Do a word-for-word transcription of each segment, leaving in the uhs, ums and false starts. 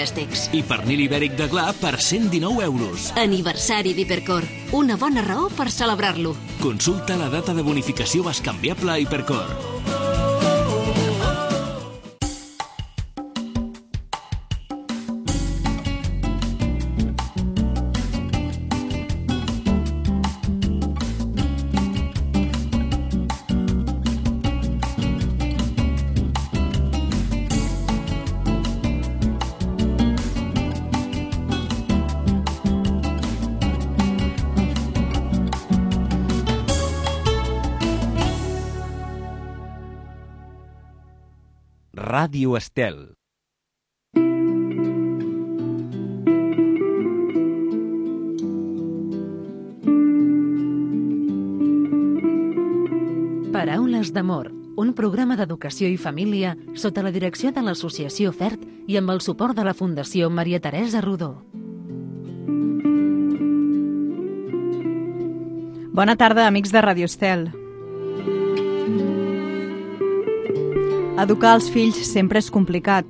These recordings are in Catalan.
electrodomèstics. I pernil ibèric de Gla per cent dinou euros. Aniversari d'Hipercor. Una bona raó per celebrar-lo. Consulta la data de bonificació bescanviable a Hipercor. Ràdio Estel. Paraules d'amor, un programa d'educació i família sota la direcció de l'Associació FERT i amb el suport de la Fundació Maria Teresa Rodó. Bona tarda, amics de Ràdio Estel. Educar els fills sempre és complicat.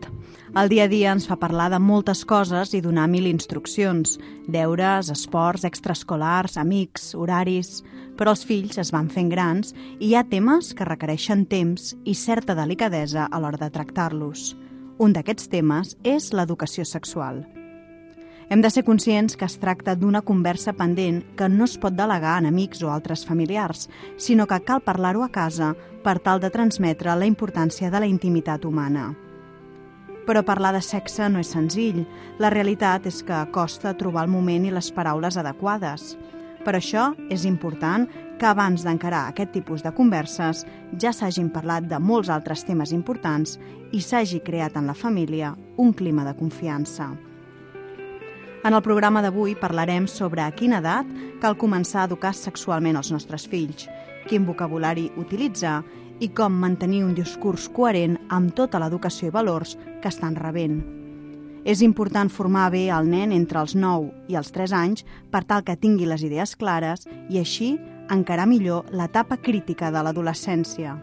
El dia a dia ens fa parlar de moltes coses i donar mil instruccions, deures, esports, extraescolars, amics, horaris... Però els fills es van fent grans i hi ha temes que requereixen temps i certa delicadesa a l'hora de tractar-los. Un d'aquests temes és l'educació sexual. Hem de ser conscients que es tracta d'una conversa pendent que no es pot delegar en amics o altres familiars, sinó que cal parlar-ho a casa per tal de transmetre la importància de la intimitat humana. Però parlar de sexe no és senzill. La realitat és que costa trobar el moment i les paraules adequades. Per això és important que abans d'encarar aquest tipus de converses ja s'hagin parlat de molts altres temes importants i s'hagi creat en la família un clima de confiança. En el programa d'avui parlarem sobre a quina edat cal començar a educar sexualment els nostres fills, quin vocabulari utilitzar i com mantenir un discurs coherent amb tota l'educació i valors que estan rebent. És important formar bé el nen entre els nou i els tres anys per tal que tingui les idees clares i així encarar millor l'etapa crítica de l'adolescència.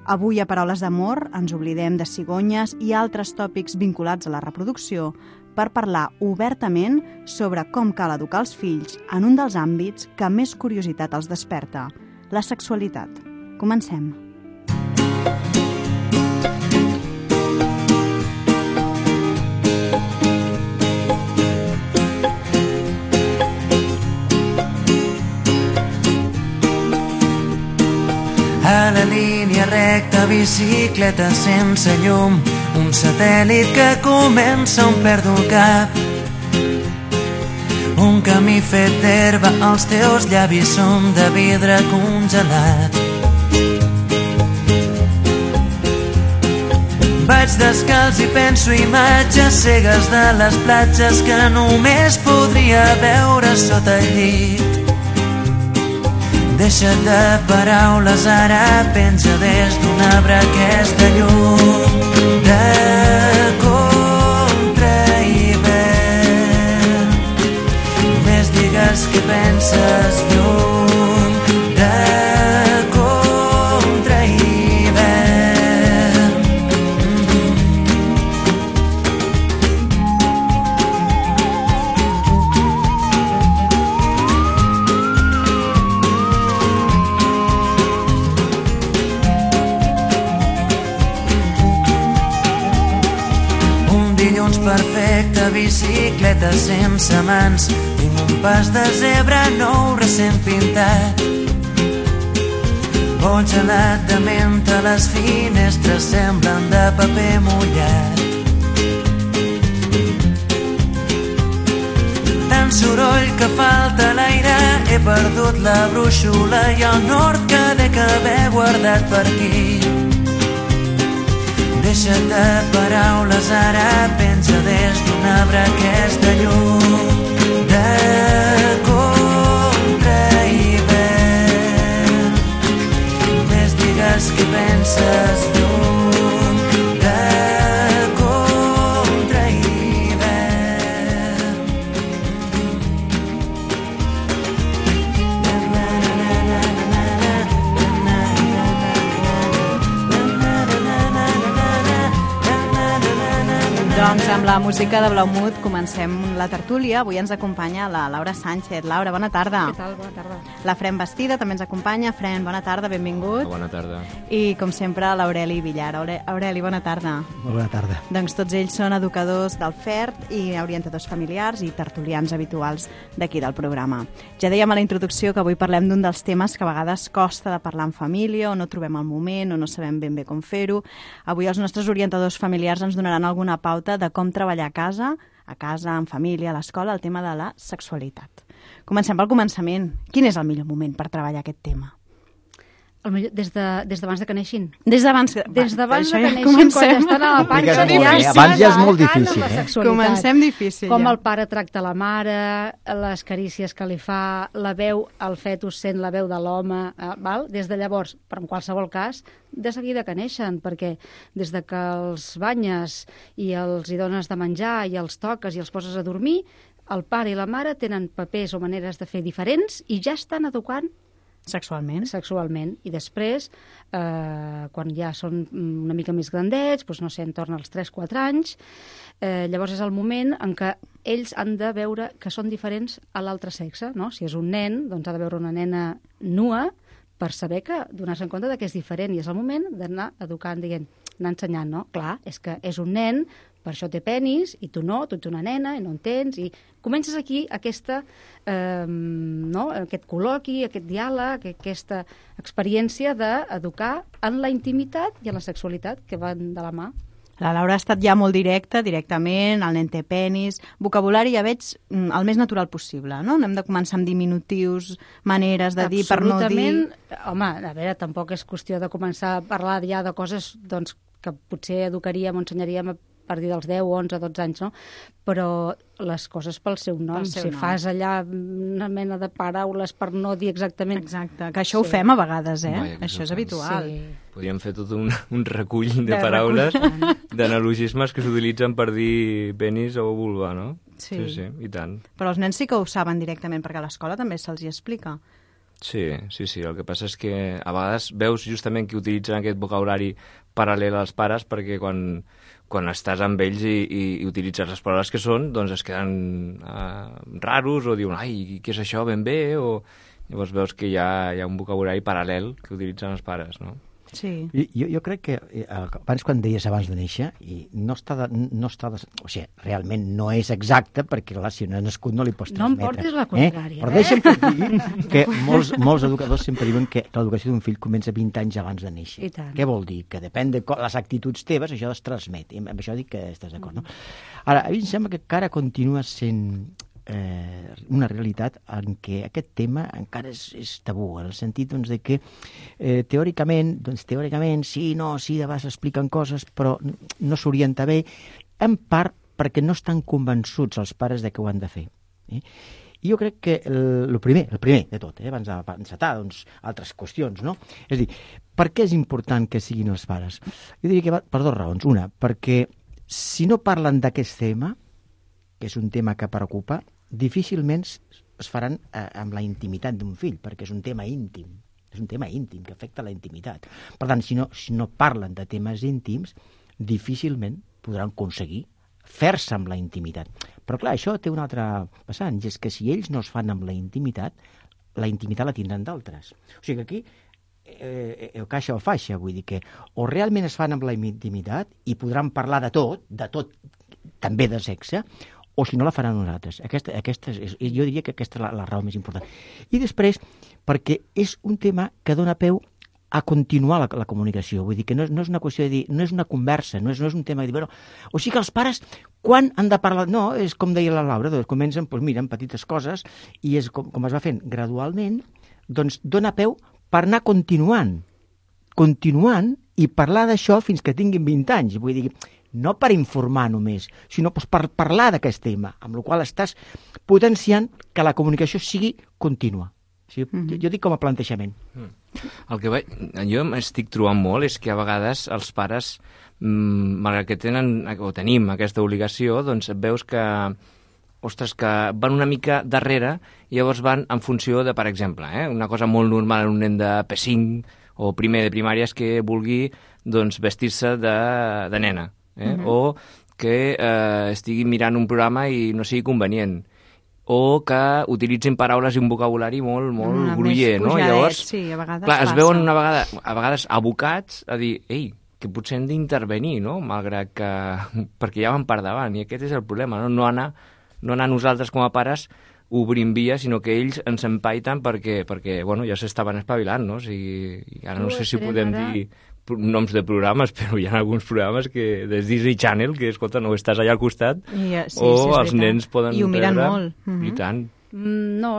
Avui a Paraules d'Amor ens oblidem de cigonyes i altres tòpics vinculats a la reproducció per parlar obertament sobre com cal educar els fills en un dels àmbits que més curiositat els desperta, la sexualitat. Comencem. A la línia recta, bicicleta sense llum, un satèl·lit que comença on perdo el cap. Un camí fet d'herba, els teus llavis són de vidre congelat. Vaig descalç i penso imatges cegues de les platges que només podria veure sota el llit. Deixa't de paraules, ara penja des d'un arbre aquesta llum de contra hivern. Només digues què penses lluny de contra hivern. Perfecta, bicicleta sense mans, tinc un pas de zebra nou recent pintat. Vol gelat de menta, les finestres semblen de paper mullat. Tant soroll que falta l'aire, he perdut la brúixola i el nord que dec haver guardat per aquí. Deixa't de paraules, ara penja des d'un arbre aquesta llum de contra hivern. Només digues què penses lluny de contra hivern. Doncs amb la música de Blaumut comencem la tertúlia. Avui ens acompanya la Laura Sánchez. Laura, bona tarda. Què tal? Bona tarda. La Fren Bastida també ens acompanya. Fren, bona tarda, benvingut. Bona tarda. I, com sempre, l'Aureli Villar. Aure- Aureli, bona tarda. Bona tarda. Doncs tots ells són educadors del F E R T i orientadors familiars i tertulians habituals d'aquí del programa. Ja dèiem a la introducció que avui parlem d'un dels temes que a vegades costa de parlar en família o no trobem el moment o no sabem ben bé com fer-ho. Avui els nostres orientadors familiars ens donaran alguna pauta de com treballar a casa, a casa, en família, a l'escola, el tema de la sexualitat. Comencem pel començament. Quin és el millor moment per treballar aquest tema? El millor, des de, des d'abans de que neixin. Des d'abans que, Des d'abans de això que ja neixin, comencem. quan estan a la panxa, Complicat molt, ja eh? Abans ja és molt difícil, la eh? sexualitat. Comencem difícil, Com ja. el pare tracta la mare, les carícies que li fa, la veu, el fetus sent la veu de l'home, eh, val? Des de llavors, però en qualsevol cas, de seguida que neixen, perquè des de que els banyes i els hi dones de menjar i els toques i els poses a dormir, el pare i la mare tenen papers o maneres de fer diferents i ja estan educant Sexualment. sexualment. I després, eh, quan ja són una mica més grandets, doncs no sé, entorn als tres quatre anys, eh, llavors és el moment en què ells han de veure que són diferents a l'altre sexe, no? Si és un nen, doncs ha de veure una nena nua per saber que, donar-se en compte de que és diferent, i és el moment d'anar educant, dient, anar ensenyant, no? Clar, és que és un nen, per això té penis, i tu no, tu ets una nena, i no en tens, i comences aquí aquesta, eh, no? aquest col·loqui, aquest diàleg, aquesta experiència d'educar en la intimitat i en la sexualitat, que van de la mà. La Laura ha estat ja molt directa, directament, el nen té penis, vocabulari ja veig mm, el més natural possible, no? No hem de començar amb diminutius, maneres de dir per no dir... Absolutament. Home, a veure, tampoc és qüestió de començar a parlar ja de coses doncs, que potser educaríem o ensenyaríem a partir dels deu, onze, dotze anys, no? Però les coses pel seu nom. Pel seu si nom. fas allà una mena de paraules per no dir exactament... Exacte, que això ho Sí. fem a vegades, eh? Vaja, que Això és això ho fem. habitual. Sí. Podríem fer tot un, un recull de, De paraules, recull. d'analogismes que s'utilitzen per dir penis o vulva, no? Sí. Sí, sí, i tant. Però els nens sí que ho saben directament, perquè a l'escola també se'ls hi explica. Sí, sí, sí. El que passa és que a vegades veus justament que utilitzen aquest vocabulari paral·lel als pares perquè quan, quan estàs amb ells i, i, i utilitzes les paraules que són, doncs es queden uh, raros o diuen, ai, què és això, ben bé? O llavors veus que hi ha, hi ha un vocabulari paral·lel que utilitzen els pares, no? Sí. I, jo, jo crec que eh, abans quan deies abans de néixer, i no està, de, no està de, o sigui, realment no és exacte perquè clar, si no ha nascut no li pots No em transmetre. portis la contrària, Eh? Però eh? deixa'm que et digui que molts, molts educadors sempre diuen que l'educació d'un fill comença vint anys abans de néixer. I tant. Què vol dir? Que depèn de co- les actituds teves, això es transmet. I amb això dic que estàs d'acord, no? Ara, a mi em sembla que encara continua sent eh, una realitat en què aquest tema encara és, és tabú, en el sentit doncs, de que eh, teòricament, doncs, teòricament sí, no, sí, de vegades expliquen coses, però no s'orienta bé, en part perquè no estan convençuts els pares de que ho han de fer. Eh? I jo crec que el, el primer, el primer de tot, eh, abans d'encetar doncs, altres qüestions, no? És a dir, per què és important que siguin els pares? Jo diria que va per dues raons. Una, perquè si no parlen d'aquest tema, que és un tema que preocupa, difícilment es faran eh, amb la intimitat d'un fill, perquè és un tema íntim. És un tema íntim, que afecta la intimitat. Per tant, si no, si no parlen de temes íntims, difícilment podran aconseguir fer-se amb la intimitat. Però clar, això té un altre vessant, i és que si ells no es fan amb la intimitat, la intimitat la tindran d'altres. O sigui que aquí eh, eh, caixa o faixa, vull dir que o realment es fan amb la intimitat i podran parlar de tot, de tot, també de sexe, o si no la faran nosaltres. Aquesta, aquesta és, jo diria que aquesta és la, la raó més important. I després, perquè és un tema que dona peu a continuar la, la comunicació. Vull dir que no, no és una qüestió de dir, no és una conversa, no és, no és un tema de dir, bueno, o sigui que els pares, quan han de parlar? No, és com deia la Laura, doncs comencen, doncs mira, amb petites coses, i és com, com es va fent gradualment, doncs dona peu per anar continuant, continuant i parlar d'això fins que tinguin vint anys. Vull dir, no per informar només, sinó doncs, per parlar d'aquest tema, amb la qual estàs potenciant que la comunicació sigui contínua. O sigui, mm-hmm. jo, jo dic com a plantejament. Mm. El que vaig, jo m'estic trobant molt és que a vegades els pares, mmm, malgrat que tenen o tenim aquesta obligació, doncs veus que, ostres, que van una mica darrere i llavors van en funció de, per exemple, eh, una cosa molt normal en un nen de P cinc o primer de primària és que vulgui doncs, vestir-se de, de nena. Eh? Mm-hmm. O que eh, estiguin mirant un programa i no sigui convenient, o que utilitzin paraules i un vocabulari molt, molt Una gruller, més no? pujadet, Llavors, sí, a vegades clar, es passa. veuen una vegada, a vegades abocats a dir, ei, que potser hem d'intervenir, no? Malgrat que... perquè ja van per davant, i aquest és el problema, no? No anar, no anar nosaltres com a pares obrint via, sinó que ells ens empaiten perquè, perquè bueno, ja s'estaven espavilant, no? O sigui, ara no sé si podem dir noms de programes, però hi ha alguns programes que des Disney Channel, que, escolta, no estàs allà al costat, I, sí, o sí, els nens poden I ho miren treure... molt. Mm-hmm. I tant. No,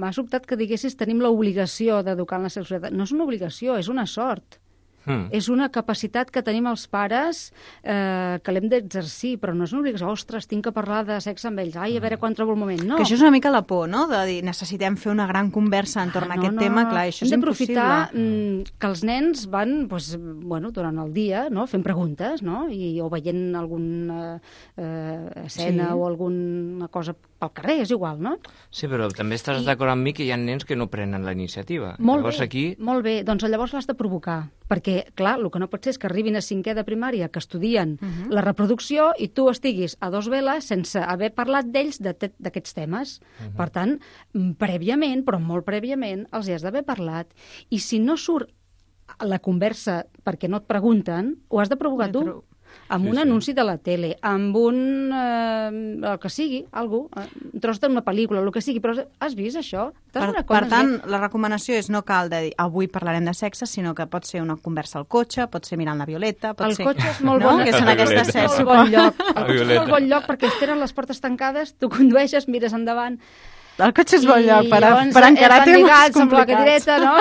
m'ha sobtat que diguessis tenim l'obligació d'educar en la sexualitat. No és una obligació, és una sort. Hmm. És una capacitat que tenim els pares eh, que l'hem d'exercir, però no és una obligació. Ostres, tinc que parlar de sexe amb ells. Ai, a veure quan trobo el moment. No. Que això és una mica la por, no? De dir, necessitem fer una gran conversa entorn Ah, a aquest no, tema. no. Clar, això Hem és d'aprofitar impossible. mm, que els nens van doncs, bueno, durant el dia no? fent preguntes, no? I, o veient alguna eh, escena Sí. o alguna cosa pel carrer, és igual, no? Sí, però també estàs I- d'acord amb mi que hi ha nens que no prenen la iniciativa. Molt Llavors bé, aquí... molt bé. Doncs llavors l'has de provocar, perquè, clar, el que no pot ser és que arribin a cinquè de primària, que estudien uh -huh. la reproducció, i tu estiguis a dos veles sense haver parlat d'ells de te- d'aquests temes. Uh -huh. Per tant, mm, prèviament, però molt prèviament, els hi has d'haver parlat. I si no surt a la conversa perquè no et pregunten, ho has de provocar Ja tu. trobo. Amb Sí, un sí. anunci de la tele, amb un... Eh, el que sigui, algú, eh, un tros d'una pel·lícula, el que sigui, però has vist això? T'has Per, donat per compte? tant, la recomanació és no cal de dir avui parlarem de sexe, sinó que pot ser una conversa al cotxe, pot ser mirant la Violeta, pot El ser... cotxe és molt no? bon. Que són La aquestes Violeta. sets. És molt bon lloc. El cotxe és Violeta. molt bon lloc perquè es tenen les portes tancades, tu condueixes, mires endavant... El cotxe és bon lloc per, llavors per encarar van temes lligats amb la complicats. cadireta, no?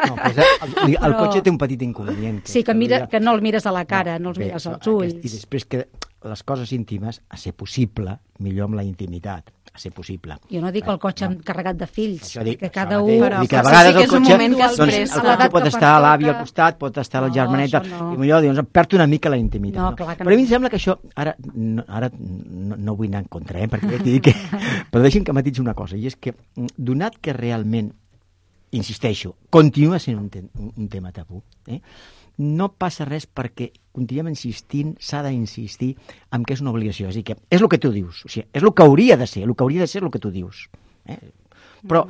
No, pues, el, el, el Però- cotxe té un petit inconvenient. Sí, que, mira, que no el mires a la cara, no, els bé, mires als això, ulls. aquest- I després que les coses íntimes, a ser possible, millor amb la intimitat, a ser possible. Jo no dic el cotxe no. carregat de fills, Això dic, que això cada mateix. un... Però- Dic que a però vegades sí que el és un cotxe, moment que doncs, després, el a cotxe l'edat pot que estar a l'avi al pertoca- costat, pot estar a la No, germaneta, això no. i millor doncs, perd una mica la intimitat. No, No, clar que Però a mi no. em sembla que això, ara no, ara no, no vull anar en contra, eh, perquè ja t'he dit que... però deixi'm que matitzi una cosa, i és que, donat que realment, insisteixo, continua sent un, te un, un tema tabú, eh? No passa res perquè continuem insistint, s'ha d'insistir en que és una obligació. És a dir, que és el que tu dius, o sigui, és el que hauria de ser, el que hauria de ser el que tu dius. Eh? Però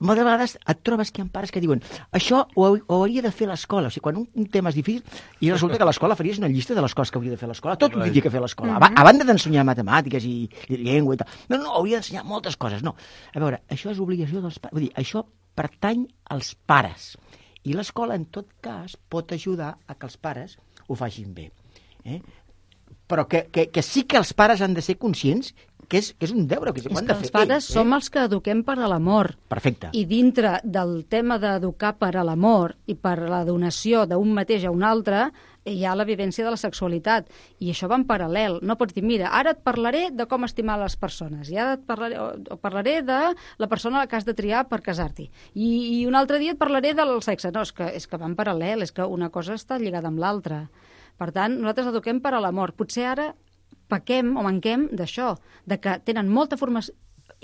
moltes vegades et trobes que hi ha pares que diuen això ho, hau- ho hauria de fer l'escola. O sigui, quan un, un tema és difícil i resulta que l'escola faries una llista de les coses que hauria de fer l'escola, tot ho hauria que fer l'escola. A, a banda d'ensenyar matemàtiques i, i llengua i tal. No, no, hauria d'ensenyar moltes coses. No. A veure, això és obligació dels pares. Vull dir, això pertany als pares. I l'escola, en tot cas, pot ajudar a que els pares ho facin bé. Eh? Però que, que, que sí que els pares han de ser conscients que és, que és un deure, que ho És han que de fer els pares ells, som els que eduquem per a l'amor. Perfecte. I dintre del tema d'educar per a l'amor i per la donació d'un mateix a un altre, hi ha la vivència de la sexualitat. I això va en paral·lel. No pots dir, mira, ara et parlaré de com estimar les persones, i ara et parlaré, o, o parlaré de la persona que has de triar per casar-t'hi. I, I un altre dia et parlaré del sexe. No, és que, és que va en paral·lel, és que una cosa està lligada amb l'altra. Per tant, nosaltres eduquem per a l'amor. Potser ara pequem o manquem d'això, de que tenen molta formació,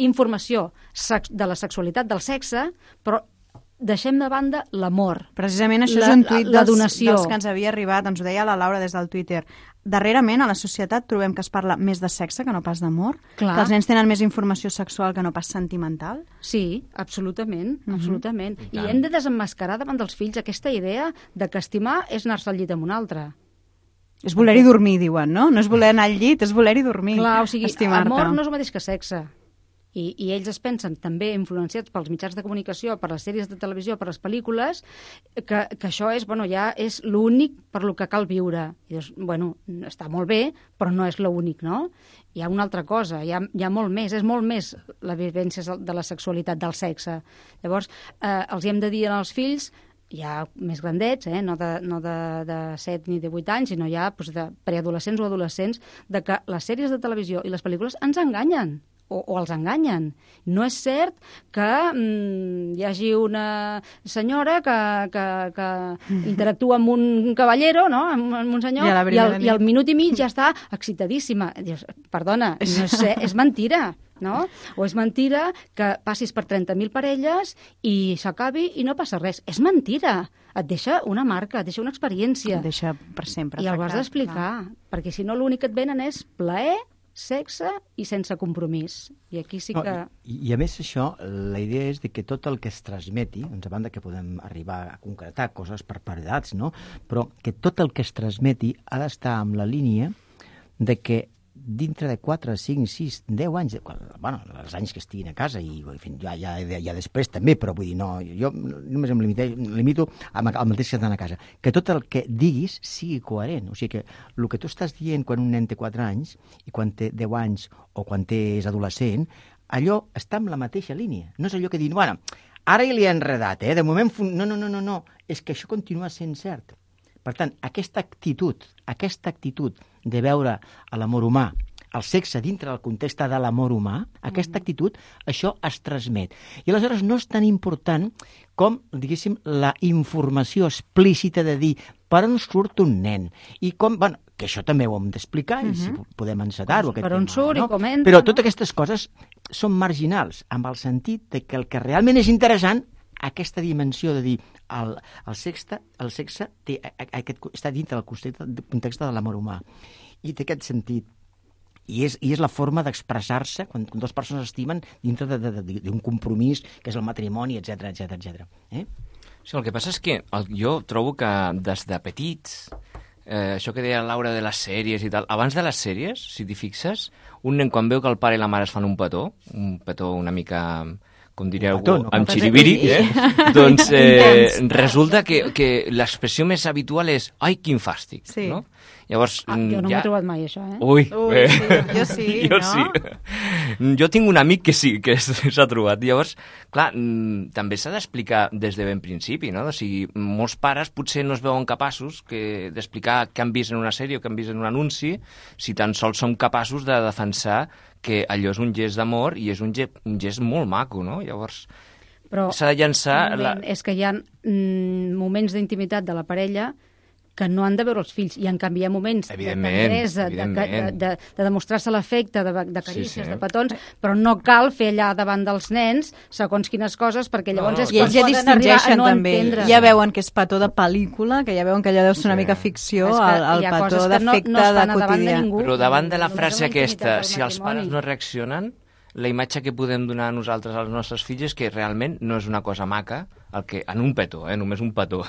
informació de la sexualitat, del sexe, però deixem de banda l'amor. Precisament això La- és un tuit la dels, donació. dels que ens havia arribat, ens ho deia la Laura des del Twitter. Darrerament, a la societat, trobem que es parla més de sexe que no pas d'amor, Clar. que els nens tenen més informació sexual que no pas sentimental. Sí, absolutament, Mhm. absolutament. I I, tant. hem de desemmascarar davant dels fills aquesta idea de que estimar és anar-se al llit amb un altre. És voler-hi dormir, diuen, no? No és voler anar al llit, és voler-hi dormir. Clar, o sigui, estimar-te. amor no és el mateix que sexe. I, I ells es pensen, també influenciats pels mitjans de comunicació, per les sèries de televisió, per les pel·lícules, que, que això és, bueno, ja és l'únic per lo que cal viure. I dius, bueno, està molt bé, però no és l'únic, no? Hi ha una altra cosa, hi ha, hi ha molt més, és molt més la vivència de la sexualitat, del sexe. Llavors, eh, els hi hem de dir als fills, ja més grandets, eh? no, de, no de, de set ni de vuit anys, sinó ja doncs, de preadolescents o adolescents, de que les sèries de televisió i les pel·lícules ens enganyen. o, o els enganyen. No és cert que mm, hi hagi una senyora que, que, que interactua amb un cavallero, no? amb, amb un senyor, I, i, el, i al minut i mig ja està excitadíssima. Dius, perdona, no és, és mentira. No? O és mentira que passis per trenta mil parelles i s'acabi i no passa res. És mentira. Et deixa una marca, et deixa una experiència. Et deixa per sempre. I el has d'explicar, perquè si no l'únic que et venen és plaer, sexe i sense compromís. I aquí sí que... No, i, I a més això, la idea és de que tot el que es transmeti, doncs a banda que podem arribar a concretar coses per per edats, no? Però que tot el que es transmeti ha d'estar amb la línia de que dintre de quatre, cinc, sis, deu anys, bueno, els anys que estiguin a casa i en fi, ja, ja, ja després també, però vull dir, no, jo només em limito, limito al mateix que estan a casa, que tot el que diguis sigui coherent, o sigui que el que tu estàs dient quan un nen té quatre anys i quan té deu anys o quan té és adolescent, allò està en la mateixa línia, no és allò que diuen, bueno, ara ja li he enredat, eh? De moment, no, no, no, no, no, és que això continua sent cert. Per tant, aquesta actitud, aquesta actitud de veure l'amor humà, el sexe dintre del context de l'amor humà, aquesta actitud, això es transmet. I aleshores no és tan important com, diguéssim, la informació explícita de dir per on surt un nen. I com, bueno, que això també ho hem d'explicar, uh-huh. i si podem encetar-ho. Per on surt no? i com entra. no? Però totes aquestes coses són marginals, amb el sentit de que el que realment és interessant aquesta dimensió de dir el, el, sexe, el sexe té, aquest, està dintre del context, del context de l'amor humà. I té aquest sentit. I és, i és la forma d'expressar-se quan, quan dues persones estimen dintre d'un compromís que és el matrimoni, etcètera, etcètera, etcètera. Eh? Sí, el que passa és que el, jo trobo que des de petits, eh, això que deia Laura de les sèries i tal, abans de les sèries, si t'hi fixes, un nen quan veu que el pare i la mare es fan un petó, un petó una mica... com direu, petó, no, amb xiribiri, eh? doncs eh, resulta que, que l'expressió més habitual és ai, quin fàstic, sí. no? Llavors, ah, jo no ja... m'he trobat mai, això, eh? Ui, Ui eh? sí, jo sí, jo no? sí. Jo tinc un amic que sí, que s'ha trobat. Llavors, clar, també s'ha d'explicar des de ben principi, no? O sigui, molts pares potser no es veuen capaços que d'explicar què han vist en una sèrie o què han vist en un anunci, si tan sols som capaços de defensar que allò és un gest d'amor i és un gest, un gest molt maco, no? Llavors, s'ha de llançar... La... És que hi ha mm, moments d'intimitat de la parella que no han de veure els fills, i en canvi hi ha moments de tendresa, de, de, de, de demostrar-se l'afecte, de, de carícies, sí, sí. de petons, però no cal fer allà davant dels nens segons quines coses, perquè llavors no, no, és i ells ja distingeixen no també, entendre. Ja veuen que és petó de pel·lícula, que ja veuen que allò deu ser una sí. mica ficció, el, el petó d'afecte no, no de quotidià. De ningú, però davant de la frase aquesta, si els pares no reaccionen, la imatge que podem donar a nosaltres als nostres fills és que realment no és una cosa maca, el que, en un petó, eh, només un petó,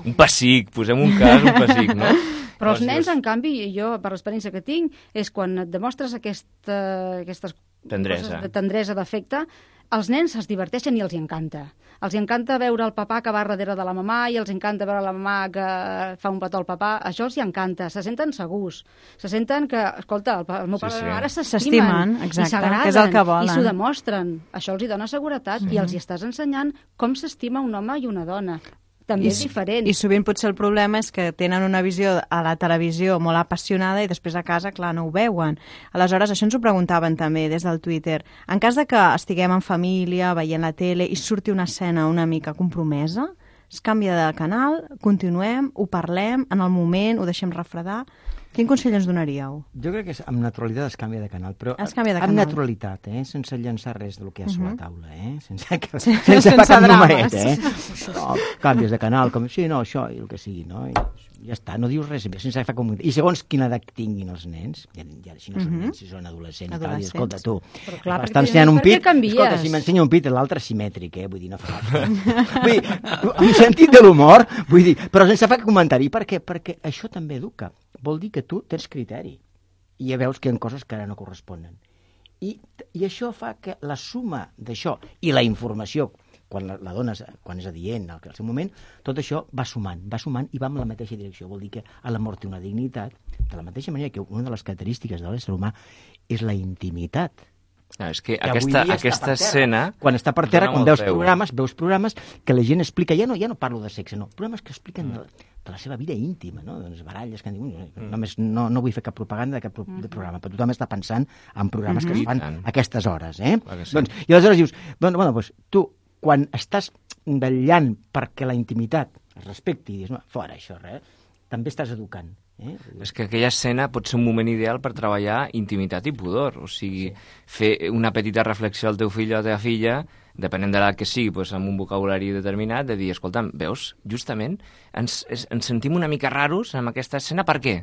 un pessic, posem un cas, un pessic, no? Però els nens, en canvi, jo, per l'experiència que tinc, és quan et demostres aquesta, aquestes tendresa. coses de tendresa, d'afecte, els nens es diverteixen i els encanta. Els encanta veure el papà que va darrere de la mamà i els encanta veure la mamà que fa un petó al papà. Això els hi encanta, se senten segurs. Se senten que, escolta, el, el meu pare sí, sí. i la mare s'estimen i s'agraden i s'ho demostren. Això els hi dona seguretat mm. i els hi estàs ensenyant com s'estima un home i una dona. També I, és diferent. I sovint potser el problema és que tenen una visió a la televisió molt apassionada i després a casa, clar, no ho veuen. Aleshores, això ens ho preguntaven també des del Twitter. En cas de que estiguem en família, veient la tele i surti una escena una mica compromesa, es canvia de canal, continuem, ho parlem, en el moment ho deixem refredar. Quin consell ens donaríeu? Jo crec que amb naturalitat es canvia de canal, però es canvia de amb canal. naturalitat, eh? Sense llançar res del que hi ha sobre la taula, eh? Sense, que, sí, sense, sense sense cap drames. numeret, eh? No, canvies de canal, com, sí, no, això, i el que sigui, no? I ja està, no dius res, sense fer com... I segons quina edat tinguin els nens, ja, ja si no són uh-huh. nens, si són adolescents, i tal, i escolta, tu, clar, m'està ensenyant un pit, canvies? Escolta, si m'ensenya un pit, l'altre simètric, eh? Vull dir, no fa vull dir, amb sentit de l'humor, vull dir, però sense fer comentari. Per què? Perquè això també educa. Vol dir que tu tens criteri i ja veus que hi ha coses que ara no corresponen. I, i això fa que la suma d'això i la informació, quan la, la dona quan és adient, al, al seu moment, tot això va sumant, va sumant i va en la mateixa direcció. Vol dir que l'amor té una dignitat, de la mateixa manera que una de les característiques de l'ésser humà és la intimitat. No, és que, que aquesta, aquesta escena... Quan està per terra, quan veus programes, veus programes que la gent explica, ja no, ja no parlo de sexe, no, programes que expliquen mm. de, de la seva vida íntima, no? Doncs baralles que diuen, mm. només no, no vull fer cap propaganda de cap pro de programa, però tothom està pensant en programes mm -hmm. que es fan a aquestes hores, eh? Sí. Doncs, i aleshores dius, bueno, bueno, doncs, tu, quan estàs vetllant perquè la intimitat es respecti, i dius, no, fora això, res, també estàs educant. Eh? És que aquella escena pot ser un moment ideal per treballar intimitat i pudor, o sigui, sí. fer una petita reflexió al teu fill o a la teva filla, depenent de l'edat que sigui, doncs, amb un vocabulari determinat, de dir, escolta'm, veus, justament ens, ens sentim una mica raros amb aquesta escena, per què?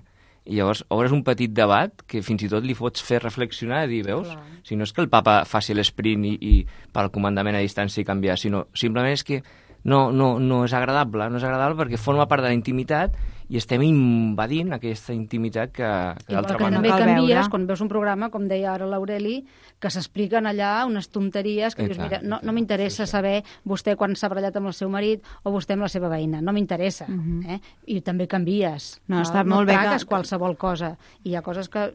I llavors obres un petit debat que fins i tot li pots fer reflexionar i dir, veus, clar. Si no és que el papa faci l'esprint i, i pel comandament a distància i canviar, sinó simplement és que no, no, no és agradable, no és agradable perquè forma part de la intimitat i estem invadint aquesta intimitat que, que d'altra banda. banda. També canvies quan veus un programa, com deia ara l'Aureli, que s'expliquen allà unes tonteries que I dius, tant, mira, no, no m'interessa sí, sí. saber vostè quan s'ha barallat amb el seu marit o vostè amb la seva veïna, no m'interessa. Uh -huh. eh? I també canvies. No, no, està no molt bé traques que... qualsevol cosa. I hi ha coses que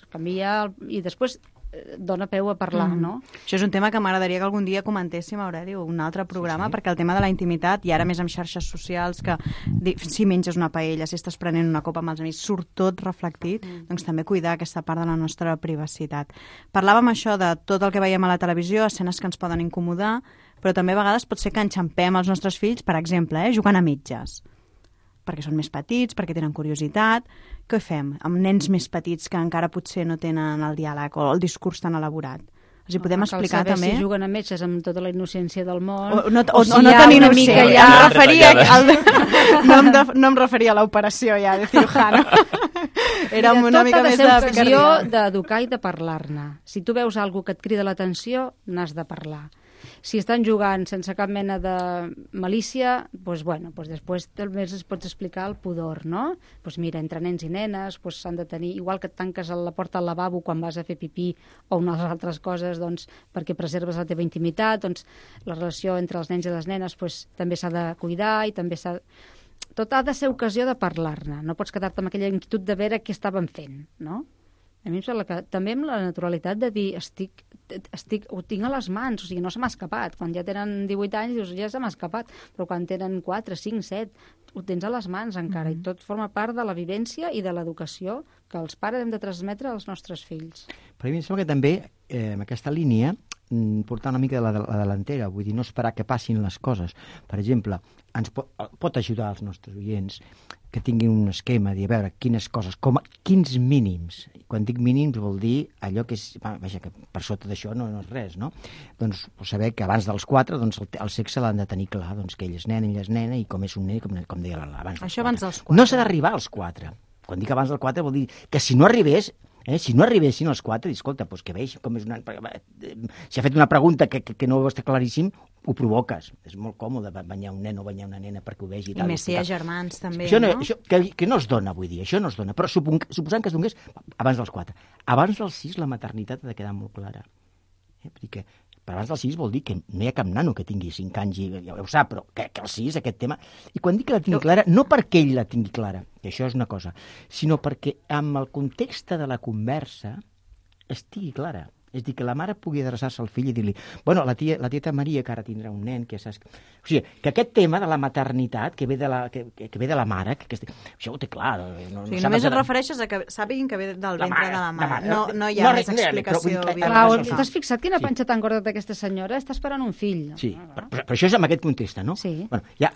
canvia i després dona peu a parlar, mm. no? Això és un tema que m'agradaria que algun dia comentéssim, Aureli, un altre programa, sí, sí. perquè el tema de la intimitat, i ara més amb xarxes socials, que si menges una paella, si estàs prenent una copa amb els amics, surt tot reflectit, mm. doncs també cuidar aquesta part de la nostra privacitat. Parlàvem això de tot el que veiem a la televisió, escenes que ens poden incomodar, però també a vegades pot ser que enxampem els nostres fills, per exemple, eh, jugant a mitges, perquè són més petits, perquè tenen curiositat. Què fem amb nens més petits que encara potser no tenen el diàleg o el discurs tan elaborat? Els hi podem no, explicar cal saber també... si juguen a metges amb tota la innocència del món... O no, o, o, o, si o no tan innocent. Ja em referia al... no, em de... no em referia a l'operació ja, de cirujano. Era Mira, una mica més de... Tot ha de ser ocasió d'educar i de parlar-ne. Si tu veus alguna que et crida l'atenció, n'has de parlar. Si estan jugant sense cap mena de malícia, doncs, bueno, doncs després també es pots explicar el pudor, no? Doncs mira, entre nens i nenes doncs s'han de tenir, igual que et tanques a la porta al lavabo quan vas a fer pipí o unes altres coses, doncs, perquè preserves la teva intimitat, doncs la relació entre els nens i les nenes doncs, també s'ha de cuidar i també s'ha... Tot ha de ser ocasió de parlar-ne, no pots quedar-te amb aquella inquietud de veure què estaven fent, no? A mi em sembla que també amb la naturalitat de dir estic, estic, ho tinc a les mans, o sigui, no se m'ha escapat. Quan ja tenen divuit anys dius, ja se m'ha escapat, però quan tenen quatre, cinc, set, ho tens a les mans encara, mm-hmm. i tot forma part de la vivència i de l'educació que els pares hem de transmetre als nostres fills. Però a mi em sembla que també, eh, en aquesta línia, portar una mica de la, de la delantera, vull dir, no esperar que passin les coses. Per exemple, ens pot, pot ajudar als nostres oients que tinguin un esquema, de veure quines coses, com, quins mínims. Quan dic mínims vol dir allò que és, vaja, que per sota d'això no, no és res, no? Doncs saber que abans dels quatre doncs, el, el sexe l'han de tenir clar, doncs que ell és nen, ell és nena, i com és un nen, com, com deia abans dels Això abans dels quatre. No s'ha d'arribar als quatre. Quan dic abans dels quatre vol dir que si no arribés, Eh? Si no arribessin els quatre, dir, escolta, doncs que veig com és una... Si ha fet una pregunta que, que, que no està claríssim, ho provoques. És molt còmode banyar un nen o banyar una nena perquè ho vegi. I, I més si hi ha germans, també, això no? no? Això, que, que no es dona, vull dir, això no es dona. Però supon, suposant que es donés abans dels quatre. Abans dels sis, la maternitat ha de quedar molt clara. Eh? Perquè per abans dels sis vol dir que no hi ha cap nano que tingui cinc anys i ja ho sap, però que, que els sis, aquest tema... I quan dic que la tingui clara, no perquè ell la tingui clara, que això és una cosa, sinó perquè amb el context de la conversa estigui clara. És dir, que la mare pugui adreçar-se al fill i dir-li, bueno, la, tia, la tieta Maria, que ara tindrà un nen, que saps... O sigui, que aquest tema de la maternitat, que ve de la, que, que ve de la mare, que, que això ho té clar. No, o sigui, no només et refereixes a que sàpiguin que ve del ventre mare, de la mare. mare. No, no hi ha no, més explicació. No, Clar, t'has fixat quina panxa tan gorda d'aquesta senyora? Està esperant un fill. Sí, però, però, però això és en aquest context, no? Sí. Bueno, ja,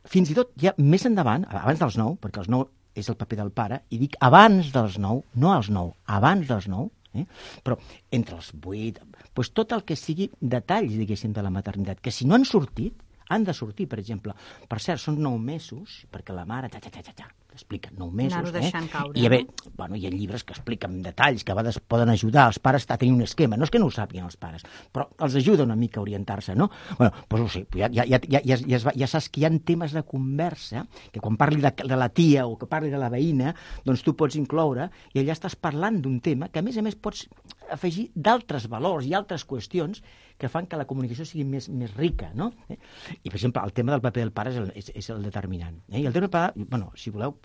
fins i tot, ja més endavant, abans dels nou, perquè els nou és el paper del pare, i dic abans dels nou, no als nou, abans dels nou, Eh? però entre els vuit, doncs tot el que sigui detalls, diguéssim, de la maternitat, que si no han sortit, han de sortir, per exemple. Per cert, són nou mesos, perquè la mare, ta, ta, ta, ta, ta, explica nou mesos, eh? Caure, I, bé, no? bueno, hi ha llibres que expliquen detalls, que a vegades poden ajudar els pares a tenir un esquema. No és que no ho sàpiguen els pares, però els ajuda una mica a orientar-se, no? Bueno, doncs ho sé, ja, ja, ja, ja, ja, ja, ja saps que hi ha temes de conversa, que quan parli de, de la tia o que parli de la veïna, doncs tu pots incloure, i allà estàs parlant d'un tema que, a més a més, pots afegir d'altres valors i altres qüestions que fan que la comunicació sigui més, més rica, no? Eh? I, per exemple, el tema del paper del pare és el, és, és el determinant. Eh? I el tema del pare, bueno, si voleu,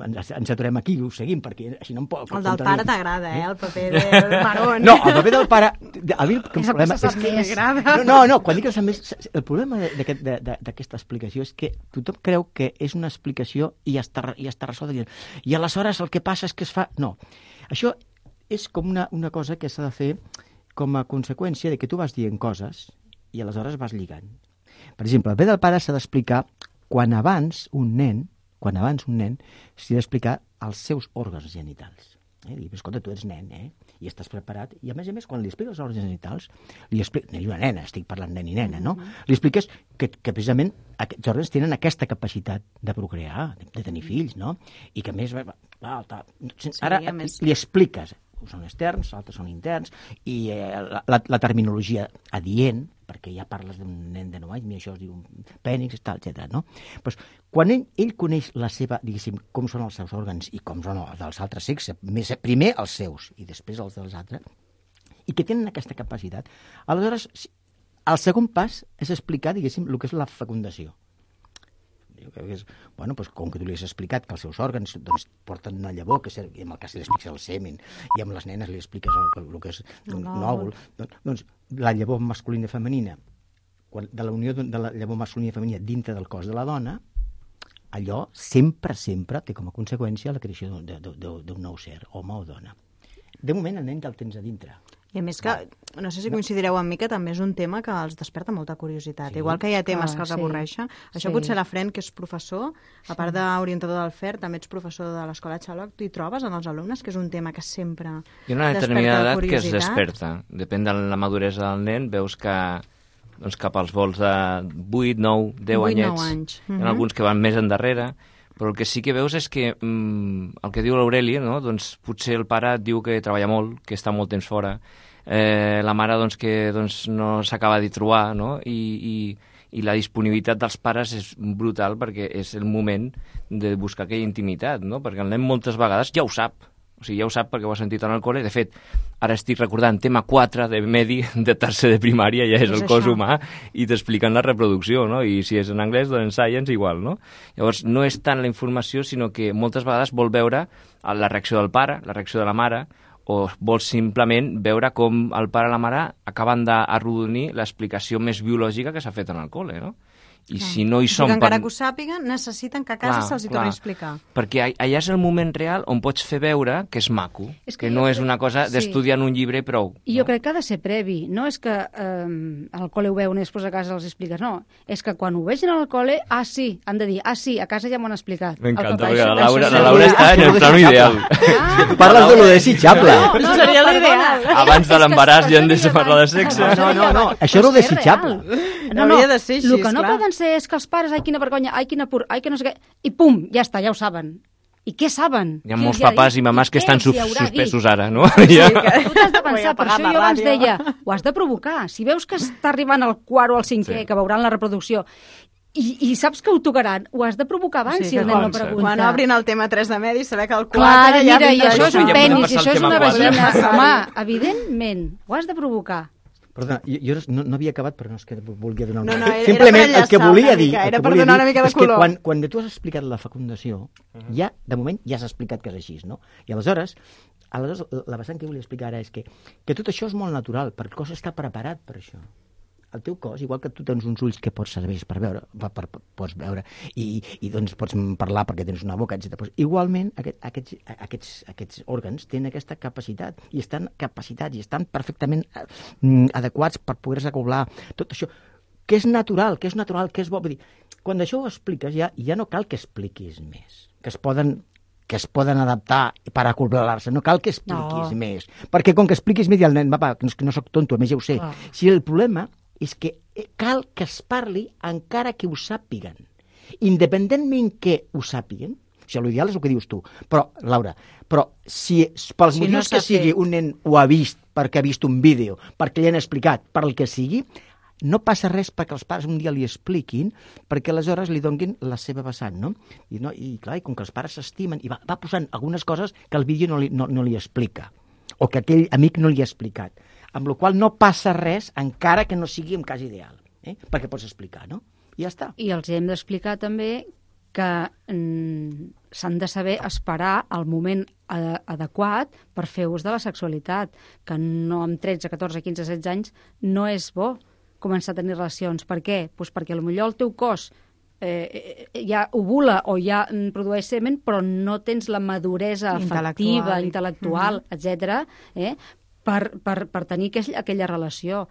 ens, ens aturem aquí i ho seguim, perquè així no em pot... El del pare t'agrada, eh? El paper del marón. No, el paper del pare A mi el És el que problema se sap és que... més. No, no, no, quan dic que se sap més... El problema d'aquest- de- de- d'aquesta explicació és que tothom creu que és una explicació i ja està, ja està resolta. dient, I aleshores el que passa és que es fa... No, això és com una, una cosa que s'ha de fer com a conseqüència de que tu vas dient coses i aleshores vas lligant. Per exemple, el bé del pare s'ha d'explicar quan abans un nen, quan abans un nen s'ha d'explicar els seus òrgans genitals. Eh? Dir, escolta, tu ets nen, eh? I estàs preparat. I a més a més, quan li expliques els òrgans genitals, li expliques, nen i una nena, estic parlant nen i nena, no? Li expliques que, que precisament aquests òrgans tenen aquesta capacitat de procrear, de, de tenir fills, no? I que a més... Va, ta, ara a més- li expliques, són externs, altres són interns, i eh, la, la, la terminologia adient, perquè ja parles d'un nen de nou anys, i això es diu pènix, tal, etcètera, no? Pues, quan ell, ell coneix la seva, diguéssim, com són els seus òrgans i com són els dels altres sexes, més, primer els seus i després els dels altres, i que tenen aquesta capacitat, aleshores el segon pas és explicar, diguéssim, el que és la fecundació. Jo crec que és, bueno, doncs, com que tu li has explicat que els seus òrgans doncs, porten una llavor, que ser, i en el cas li expliques el semen, i amb les nenes li expliques el, el que és un òvul, doncs, doncs la llavor masculina i femenina, quan, de la unió de la llavor masculina i femenina dintre del cos de la dona, allò sempre, sempre té com a conseqüència la creació d'un nou ser, home o dona. De moment el nen ja el tens a dintre. I a més que, no sé si coincidireu amb mi, que també és un tema que els desperta molta curiositat. Sí. Igual que hi ha temes Ah, que els sí. avorreixen. Això Sí. potser la Fren, que és professor, a part d'orientador del F E R, també ets professor de l'Escola Xaloc, t'hi trobes en els alumnes, que és un tema que sempre Hi ha una desperta determinada edat que es curiositat. desperta. Depèn de la maduresa del nen, veus que doncs, cap als vols de vuit, nou, deu vuit, anyets, nou anys. hi Mhm. ha alguns que van més endarrere, però el que sí que veus és que mm, el que diu l'Aureli, no? Doncs potser el pare et diu que treballa molt, que està molt temps fora, eh, la mare doncs, que doncs, no s'acaba de trobar, no? I, i, i la disponibilitat dels pares és brutal perquè és el moment de buscar aquella intimitat, no? Perquè el nen moltes vegades ja ho sap, o sigui, ja ho sap perquè ho ha sentit en el col·le. De fet, ara estic recordant tema quatre de Medi, de tercer de primària, ja és És el cos això. humà, i t'expliquen la reproducció, no? I si és en anglès, doncs en science igual, no? Llavors, no és tant la informació, sinó que moltes vegades vol veure la reacció del pare, la reacció de la mare, o vols simplement veure com el pare i la mare acaben d'arrodonir l'explicació més biològica que s'ha fet en el col·le, no? I si no hi O sigui som... que encara per- que ho sàpiguen, necessiten que a casa Clar, se'ls hi clar. torni a explicar. Perquè all- allà és el moment real on pots fer veure que és maco, És que, que no jo és crec- una cosa sí. d'estudiar en un llibre i prou. I jo crec que ha de ser previ. No és que eh, al col·le ho veuen i després a casa els expliques. No, és que quan ho vegin al col·le, ah, sí, han de dir, ah, sí, a casa ja m'ho han explicat. M'encanta, El perquè paper, la això- Laura, això la seria- Laura està en el plano ideal. Ah, Tu parles de lo desitjable. No, no, seria no, l'ideal. perdona. Abans de És que l'embaràs ja hem de seria parlar de abans. sexe. No, no, no, això Però era lo és desitjable. real. No, no, Hauria de ser així, el que no esclar. poden ser és que els pares, ai, quina vergonya, ai, quina pur, ai, que no sé què, i pum, ja està, ja ho saben. I què saben? Hi ha Qui molts els ha papàs dit? i mamàs que Què estan els hi sus haurà suspesos dit? ara, no? Sí, Ja. que tu t'has de Vull pensar, per apagar això la jo abans ràdio. deia, ho has de provocar. Si veus que està arribant al quart o al cinquè, Sí. que veuran la reproducció, i, i saps que ho tocaran, ho has de provocar abans, Sí, si el que nen no quan- pregunta. Quan obrin el tema tres de medi, saber que el Clar, quatre ja mira, i vindrà això és un Ja podem penis, i passar al això és tema una quatre. vagina. Home, evidentment, ho has de provocar. Perdona, jo, jo no, no havia acabat, però no és que volia donar una... No, no, era- era Simplement per el que enllaçar volia una dir, mica, el era que per volia donar dir una mica de és que color. quan, quan tu has explicat la fecundació, ja, de moment, ja has explicat que és així, no? I aleshores, aleshores la vessant que volia explicar ara és que, que tot això és molt natural, perquè el cos està preparat per això. El teu cos, igual que tu tens uns ulls que pots servir per veure, per, per, per, pots veure i, i doncs pots parlar perquè tens una boca, etcètera. Pues, igualment, aquest, aquests, aquests, aquests òrgans tenen aquesta capacitat i estan capacitats i estan perfectament eh, adequats per poder-se acoblar. Tot això, que és natural, que és natural, que és bo. Vull dir, quan això ho expliques, ja, ja no cal que expliquis més, que es poden que es poden adaptar per acoblar-se. No cal que expliquis No. més. Perquè com que expliquis més, el nen, va, va, que no, que no soc tonto, a més ja ho sé. Clar. Si el problema és que cal que es parli encara que ho sàpiguen. Independentment que ho sàpiguen, o sigui, l'ideal és el que dius tu, però, Laura, però si pels Si motius no que s'ha sigui fet. un nen ho ha vist, perquè ha vist un vídeo, perquè li han explicat, per el que sigui, no passa res perquè els pares un dia li expliquin, perquè aleshores li donguin la seva vessant, no? I, no, i clar, i com que els pares s'estimen, i va, va posant algunes coses que el vídeo no li, no, no li explica, o que aquell amic no li ha explicat, amb la qual no passa res, encara que no sigui en cas ideal, eh? Perquè pots explicar, no? I ja està. I els hem d'explicar també que mm, s'han de saber esperar el moment adequat per fer ús de la sexualitat, que no amb tretze, catorze, quinze, setze anys no és bo començar a tenir relacions. Per què? Pues perquè potser el teu cos eh, ja ovula o ja produeix semen, però no tens la maduresa afectiva, intel·lectual, intel·lectual uh-huh. etcètera, eh, per, per, per tenir aquell, aquella relació.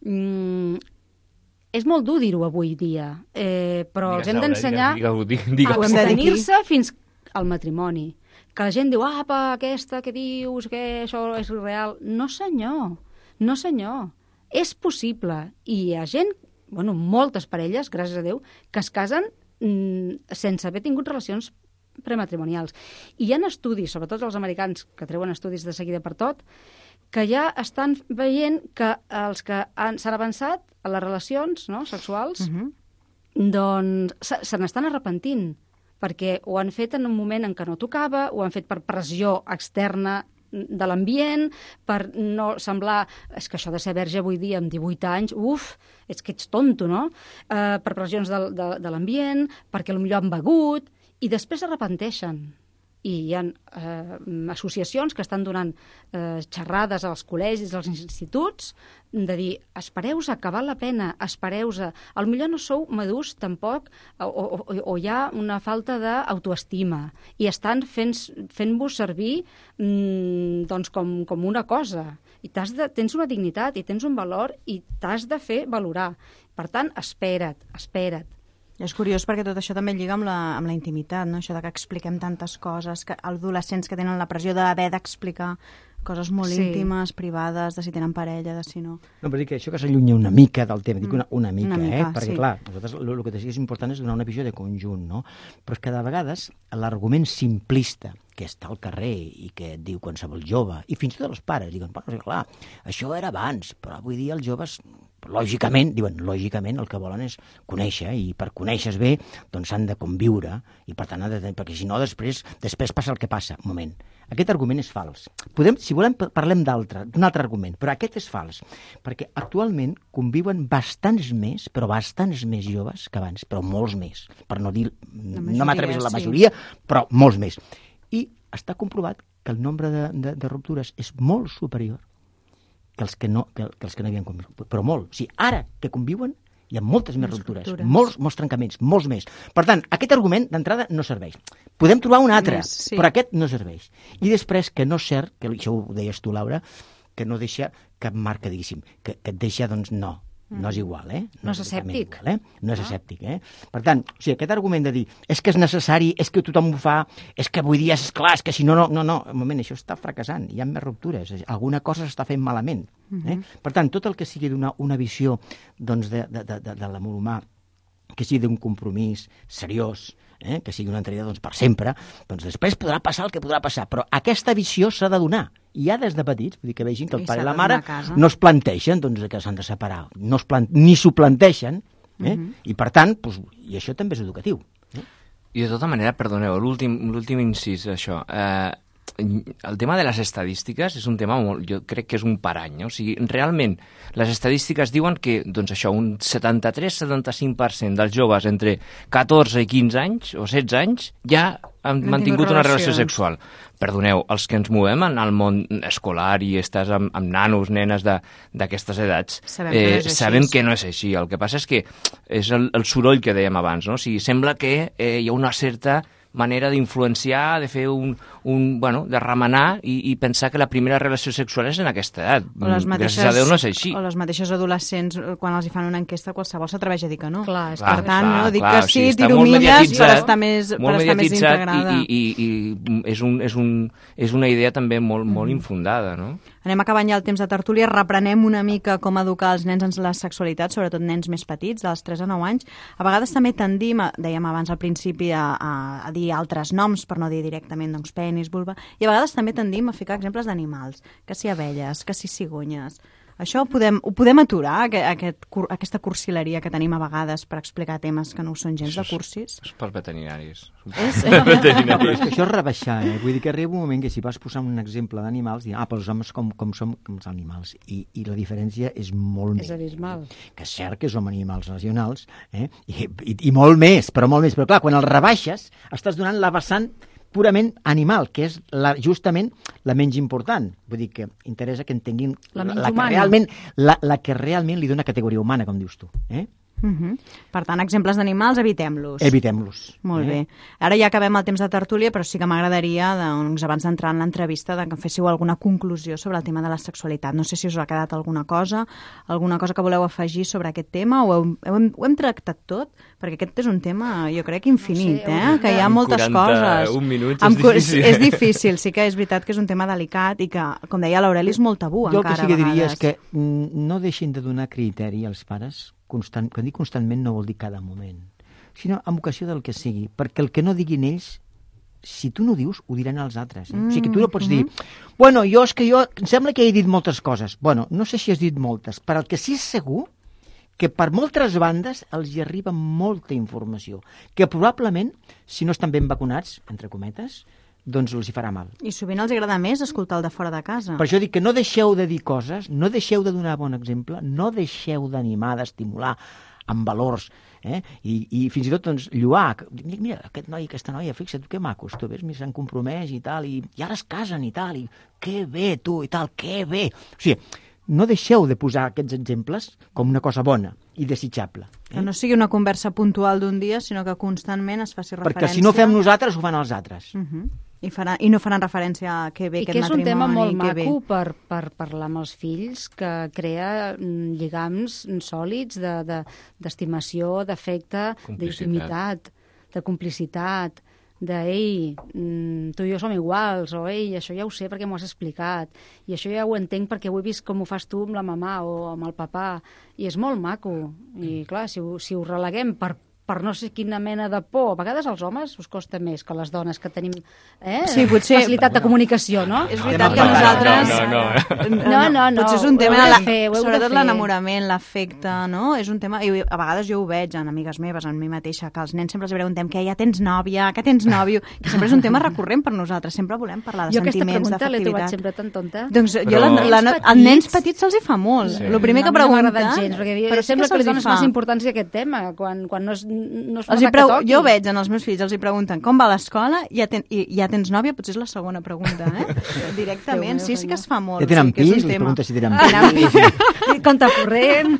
Mm, és molt dur dir-ho avui dia, eh, però digues, els hem d'ensenyar a abstenir-se fins al matrimoni. Que la gent diu, apa, aquesta, què dius, que això és real. No, senyor, no, senyor. És possible. I hi ha gent, bueno, moltes parelles, gràcies a Déu, que es casen mm, sense haver tingut relacions prematrimonials. I hi ha estudis, sobretot els americans, que treuen estudis de seguida per tot, que ja estan veient que els que s'han avançat a les relacions no, sexuals, uh-huh. doncs se, se n'estan arrepentint, perquè ho han fet en un moment en què no tocava, ho han fet per pressió externa de l'ambient, per no semblar... És que això de ser verge avui dia amb divuit anys, uf, és que ets tonto, no? Uh, per pressions de, de, de l'ambient, perquè potser han begut, i després s'arrepenteixen. I hi ha eh, associacions que estan donant eh, xerrades als col·legis, als instituts, de dir, espereu-se, que val la pena, espereu-se. Al millor no sou madurs tampoc, o, o, o hi ha una falta d'autoestima, i estan fent-vos fent servir mm, doncs com, com una cosa. I t'has de, tens una dignitat i tens un valor i t'has de fer valorar. Per tant, espera't, espera't. És curiós perquè tot això també lliga amb la, amb la intimitat, no? Això de que expliquem tantes coses, que adolescents que tenen la pressió d'haver d'explicar coses molt sí. íntimes, privades, de si tenen parella, de si no... No, però dic que això que s'allunya una mica del tema, dic una, una mica, una mica eh? Perquè, sí. clar, nosaltres el que és important és donar una visió de conjunt, no? Però és que de vegades l'argument simplista que està al carrer i que et diu qualsevol jove, i fins i tot els pares, diuen, bueno, clar, això era abans, però avui dia els joves... Lògicament, diuen, lògicament el que volen és conèixer, i per conèixer-se bé doncs s'han de conviure, i per tant, de, perquè si no després després passa el que passa. Un moment, aquest argument és fals. Podem, si volem, parlem d'altre, d'un altre argument, però aquest és fals, perquè actualment conviuen bastants més, però bastants més joves que abans, però molts més, per no dir, majoria, no m'atreveixo a la majoria, sí. Però molts més. I està comprovat que el nombre de, de, de ruptures és molt superior que els que no, que, que els que no havien conviscut, però molt. O sigui, ara que conviuen hi ha moltes més ruptures, ruptures. Molts, molts trencaments, molts més. Per tant, aquest argument d'entrada no serveix. Podem trobar un altre, més, sí. Però aquest no serveix. I després, que no és cert, que això ho deies tu, Laura, que no deixa cap marca, diguéssim, que, que et deixa, doncs, no. No és igual, eh? No, no és escèptic. Igual, eh? No és escèptic, eh? Per tant, o sigui, aquest argument de dir és que és necessari, és que tothom ho fa, és que avui dia és clar, és que si no, no, no, no, un moment, això està fracassant, hi ha més ruptures, alguna cosa s'està fent malament. Eh? Uh-huh. Per tant, tot el que sigui d'una una visió doncs, de, de, de, de l'amor humà, que sigui d'un compromís seriós, eh? Que sigui una entrega doncs, per sempre, doncs després podrà passar el que podrà passar, però aquesta visió s'ha de donar. I ja des de petits, vull dir que vegin que el pare i la mare no es planteixen doncs, que s'han de separar, no es plant... ni s'ho planteixen, eh? Uh-huh. I per tant, doncs, i això també és educatiu. Eh? I de tota manera, perdoneu, l'últim incís, això, eh, el tema de les estadístiques és un tema molt, jo crec que és un parany, eh? O sigui, realment, les estadístiques diuen que, doncs això, un setanta-tres a setanta-cinc per cent dels joves entre catorze i quinze anys, o setze anys, ja han no mantingut una relació sexual. Perdoneu, els que ens movem en el món escolar i estàs amb, amb nanos, nenes d'aquestes edats, sabem, eh, que no sabem que no és així. El que passa és que és el, el soroll que dèiem abans, no? O sigui, sembla que eh, hi ha una certa manera d'influenciar, de fer un, un bueno, de remenar i, i pensar que la primera relació sexual és en aquesta edat. Gràcies a Déu no és així. O les mateixes adolescents, quan els hi fan una enquesta, qualsevol s'atreveix a dir que no. Clar, per tant, clar, no, dic clar, que sí, o sigui, tiro milles per estar més, per estar més integrada. I, i, i és, un, és, un, és una idea també molt, molt mm. infundada, no? Anem acabant ja el temps de tertúlia, reprenem una mica com educar els nens en la sexualitat, sobretot nens més petits, dels tres a nou anys. A vegades també tendim, dèiem abans al principi, a, a, a dir altres noms, per no dir directament doncs, penis, vulva, i a vegades també tendim a ficar exemples d'animals, que si abelles, que si cigonyes. Això ho podem, ho podem aturar, aquest, aquest, aquesta cursileria que tenim a vegades per explicar temes que no ho són gens de cursis? És per veterinaris. És, eh? Però és que això és rebaixar, eh? Vull dir que arriba un moment que si vas posar un exemple d'animals, dir, ah, però els homes com, com som com els animals. I, I la diferència és molt més. És abismal. Que és cert que som animals racionals, eh? I, i, i molt més, però molt més. Però clar, quan els rebaixes, estàs donant la vessant purament animal, que és la, justament la menys important. Vull dir que interessa que entenguin la, la, la, que, realment, la, la que realment li dona categoria humana, com dius tu. Eh? Uh-huh. Per tant, exemples d'animals, evitem-los. Evitem-los. Molt eh? bé. Ara ja acabem el temps de tertúlia, però sí que m'agradaria, doncs, abans d'entrar en l'entrevista, que féssiu alguna conclusió sobre el tema de la sexualitat. No sé si us ha quedat alguna cosa, alguna cosa que voleu afegir sobre aquest tema, o heu, heu, ho hem tractat tot? Perquè aquest és un tema, jo crec, infinit, no sé, eh? Que hi ha moltes coses. quaranta-un minuts és amb, difícil. És difícil, sí que és veritat que és un tema delicat i que, com deia l'Aureli, és molt tabú jo encara a vegades. Jo el que sí que diria és que mm, no deixin de donar criteri als pares. Constant, quan dic constantment no vol dir cada moment, sinó amb ocasió del que sigui, perquè el que no diguin ells, si tu no dius, ho diran els altres. Eh? Mm, o sigui que tu no pots mm-hmm. dir, bueno, jo és que jo, em sembla que he dit moltes coses. Bueno, no sé si has dit moltes, però el que sí és segur que per moltes bandes els hi arriba molta informació, que probablement, si no estan ben vacunats, entre cometes, doncs els hi farà mal. I sovint els agrada més escoltar el de fora de casa. Per això dic que no deixeu de dir coses, no deixeu de donar bon exemple, no deixeu d'animar, d'estimular amb valors, eh? I, i fins i tot doncs, lluar. Dic, mira, aquest noi i aquesta noia, fixa't, que macos, tu ves, s'han compromès i tal, i, i ara es casen i tal, i que bé, tu, i tal, que bé. O sigui, no deixeu de posar aquests exemples com una cosa bona i desitjable. Eh? Que no sigui una conversa puntual d'un dia, sinó que constantment es faci referència... Perquè si no fem nosaltres, ho fan els altres. Uh-huh. I, farà, I no faran referència a que bé I aquest matrimoni. I que és un tema molt maco bé. per, per parlar amb els fills, que crea lligams sòlids d'estimació, de, d'afecte, d'intimitat, de complicitat, de, ei, tu i jo som iguals, o ei, això ja ho sé perquè m'ho has explicat, i això ja ho entenc perquè ho he vist com ho fas tu amb la mamà o amb el papà, i és molt maco. I clar, si ho, si ho releguem per per no sé quina mena de por. A vegades als homes us costa més que les dones, que tenim eh, sí, potser, facilitat de comunicació, no? És veritat que nosaltres... No, no, no. no, no, no. Potser és un tema, de fer, sobretot l'enamorament, l'afecte, no? És un tema, i a vegades jo ho veig en amigues meves, en mi mateixa, que als nens sempre els preguntem que ja tens nòvia, que tens nòvio, que sempre és un tema recurrent per nosaltres, sempre volem parlar de jo sentiments, d'afectivitat. Jo aquesta pregunta l'he trobat d'afectivitat. sempre tan tonta. Doncs Però... jo, la, la, als nens petits se'ls hi fa molt. Sí. El primer que pregunta... No m'ha agradat gens, perquè però sembla que li dones massa importància a aquest tema, quan, quan no es, no es fa preu, jo veig en els meus fills, els hi pregunten com va l'escola i ja, ten, i ja tens nòvia, potser és la segona pregunta, eh? Directament, sí, sí que es fa molt. Ja tenen sí, pis, li pregunta si tenen pis. Compte corrent,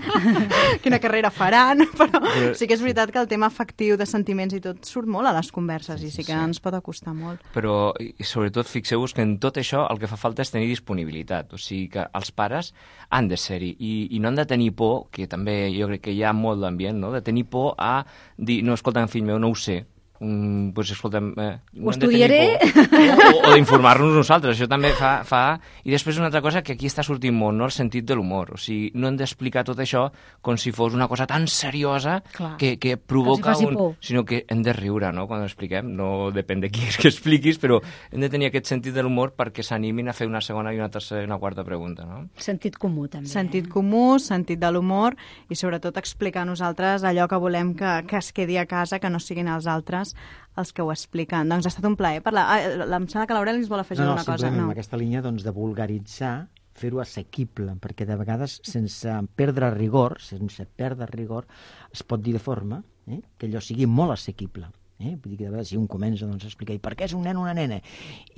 quina carrera faran, però sí que és veritat que el tema afectiu de sentiments i tot surt molt a les converses i sí que ens pot acostar molt. Però, i sobretot, fixeu-vos que en tot això el que fa falta és tenir disponibilitat, o sigui que els pares han de ser-hi i, i no han de tenir por, que també jo crec que hi ha molt d'ambient, no? De tenir por a dir, no, escolta, fill meu, no ho sé, mm, pues, escolta'm, eh, ho estudiaré o, o d'informar-nos nosaltres, això també fa, fa i després una altra cosa que aquí està sortint molt, no? El sentit de l'humor, o sigui, no hem d'explicar tot això com si fos una cosa tan seriosa Clar, que, que provoca que un... por. sinó que hem de riure, no?, quan ho expliquem, no depèn de qui és que expliquis, però hem de tenir aquest sentit de l'humor perquè s'animin a fer una segona i una tercera i una quarta pregunta, no? Sentit comú, també. Sentit comú, sentit de l'humor i sobretot explicar a nosaltres allò que volem que, que es quedi a casa, que no siguin els altres els que ho expliquen. Doncs ha estat un plaer parlar. Ah, em sembla que l'Aureli ens vol afegir no, no, una cosa. No, no, en aquesta línia doncs, de vulgaritzar, fer-ho assequible, perquè de vegades, sense perdre rigor, sense perdre rigor, es pot dir de forma eh, que allò sigui molt assequible. Eh? Vull dir que de vegades si un comença doncs, a explicar i per què és un nen o una nena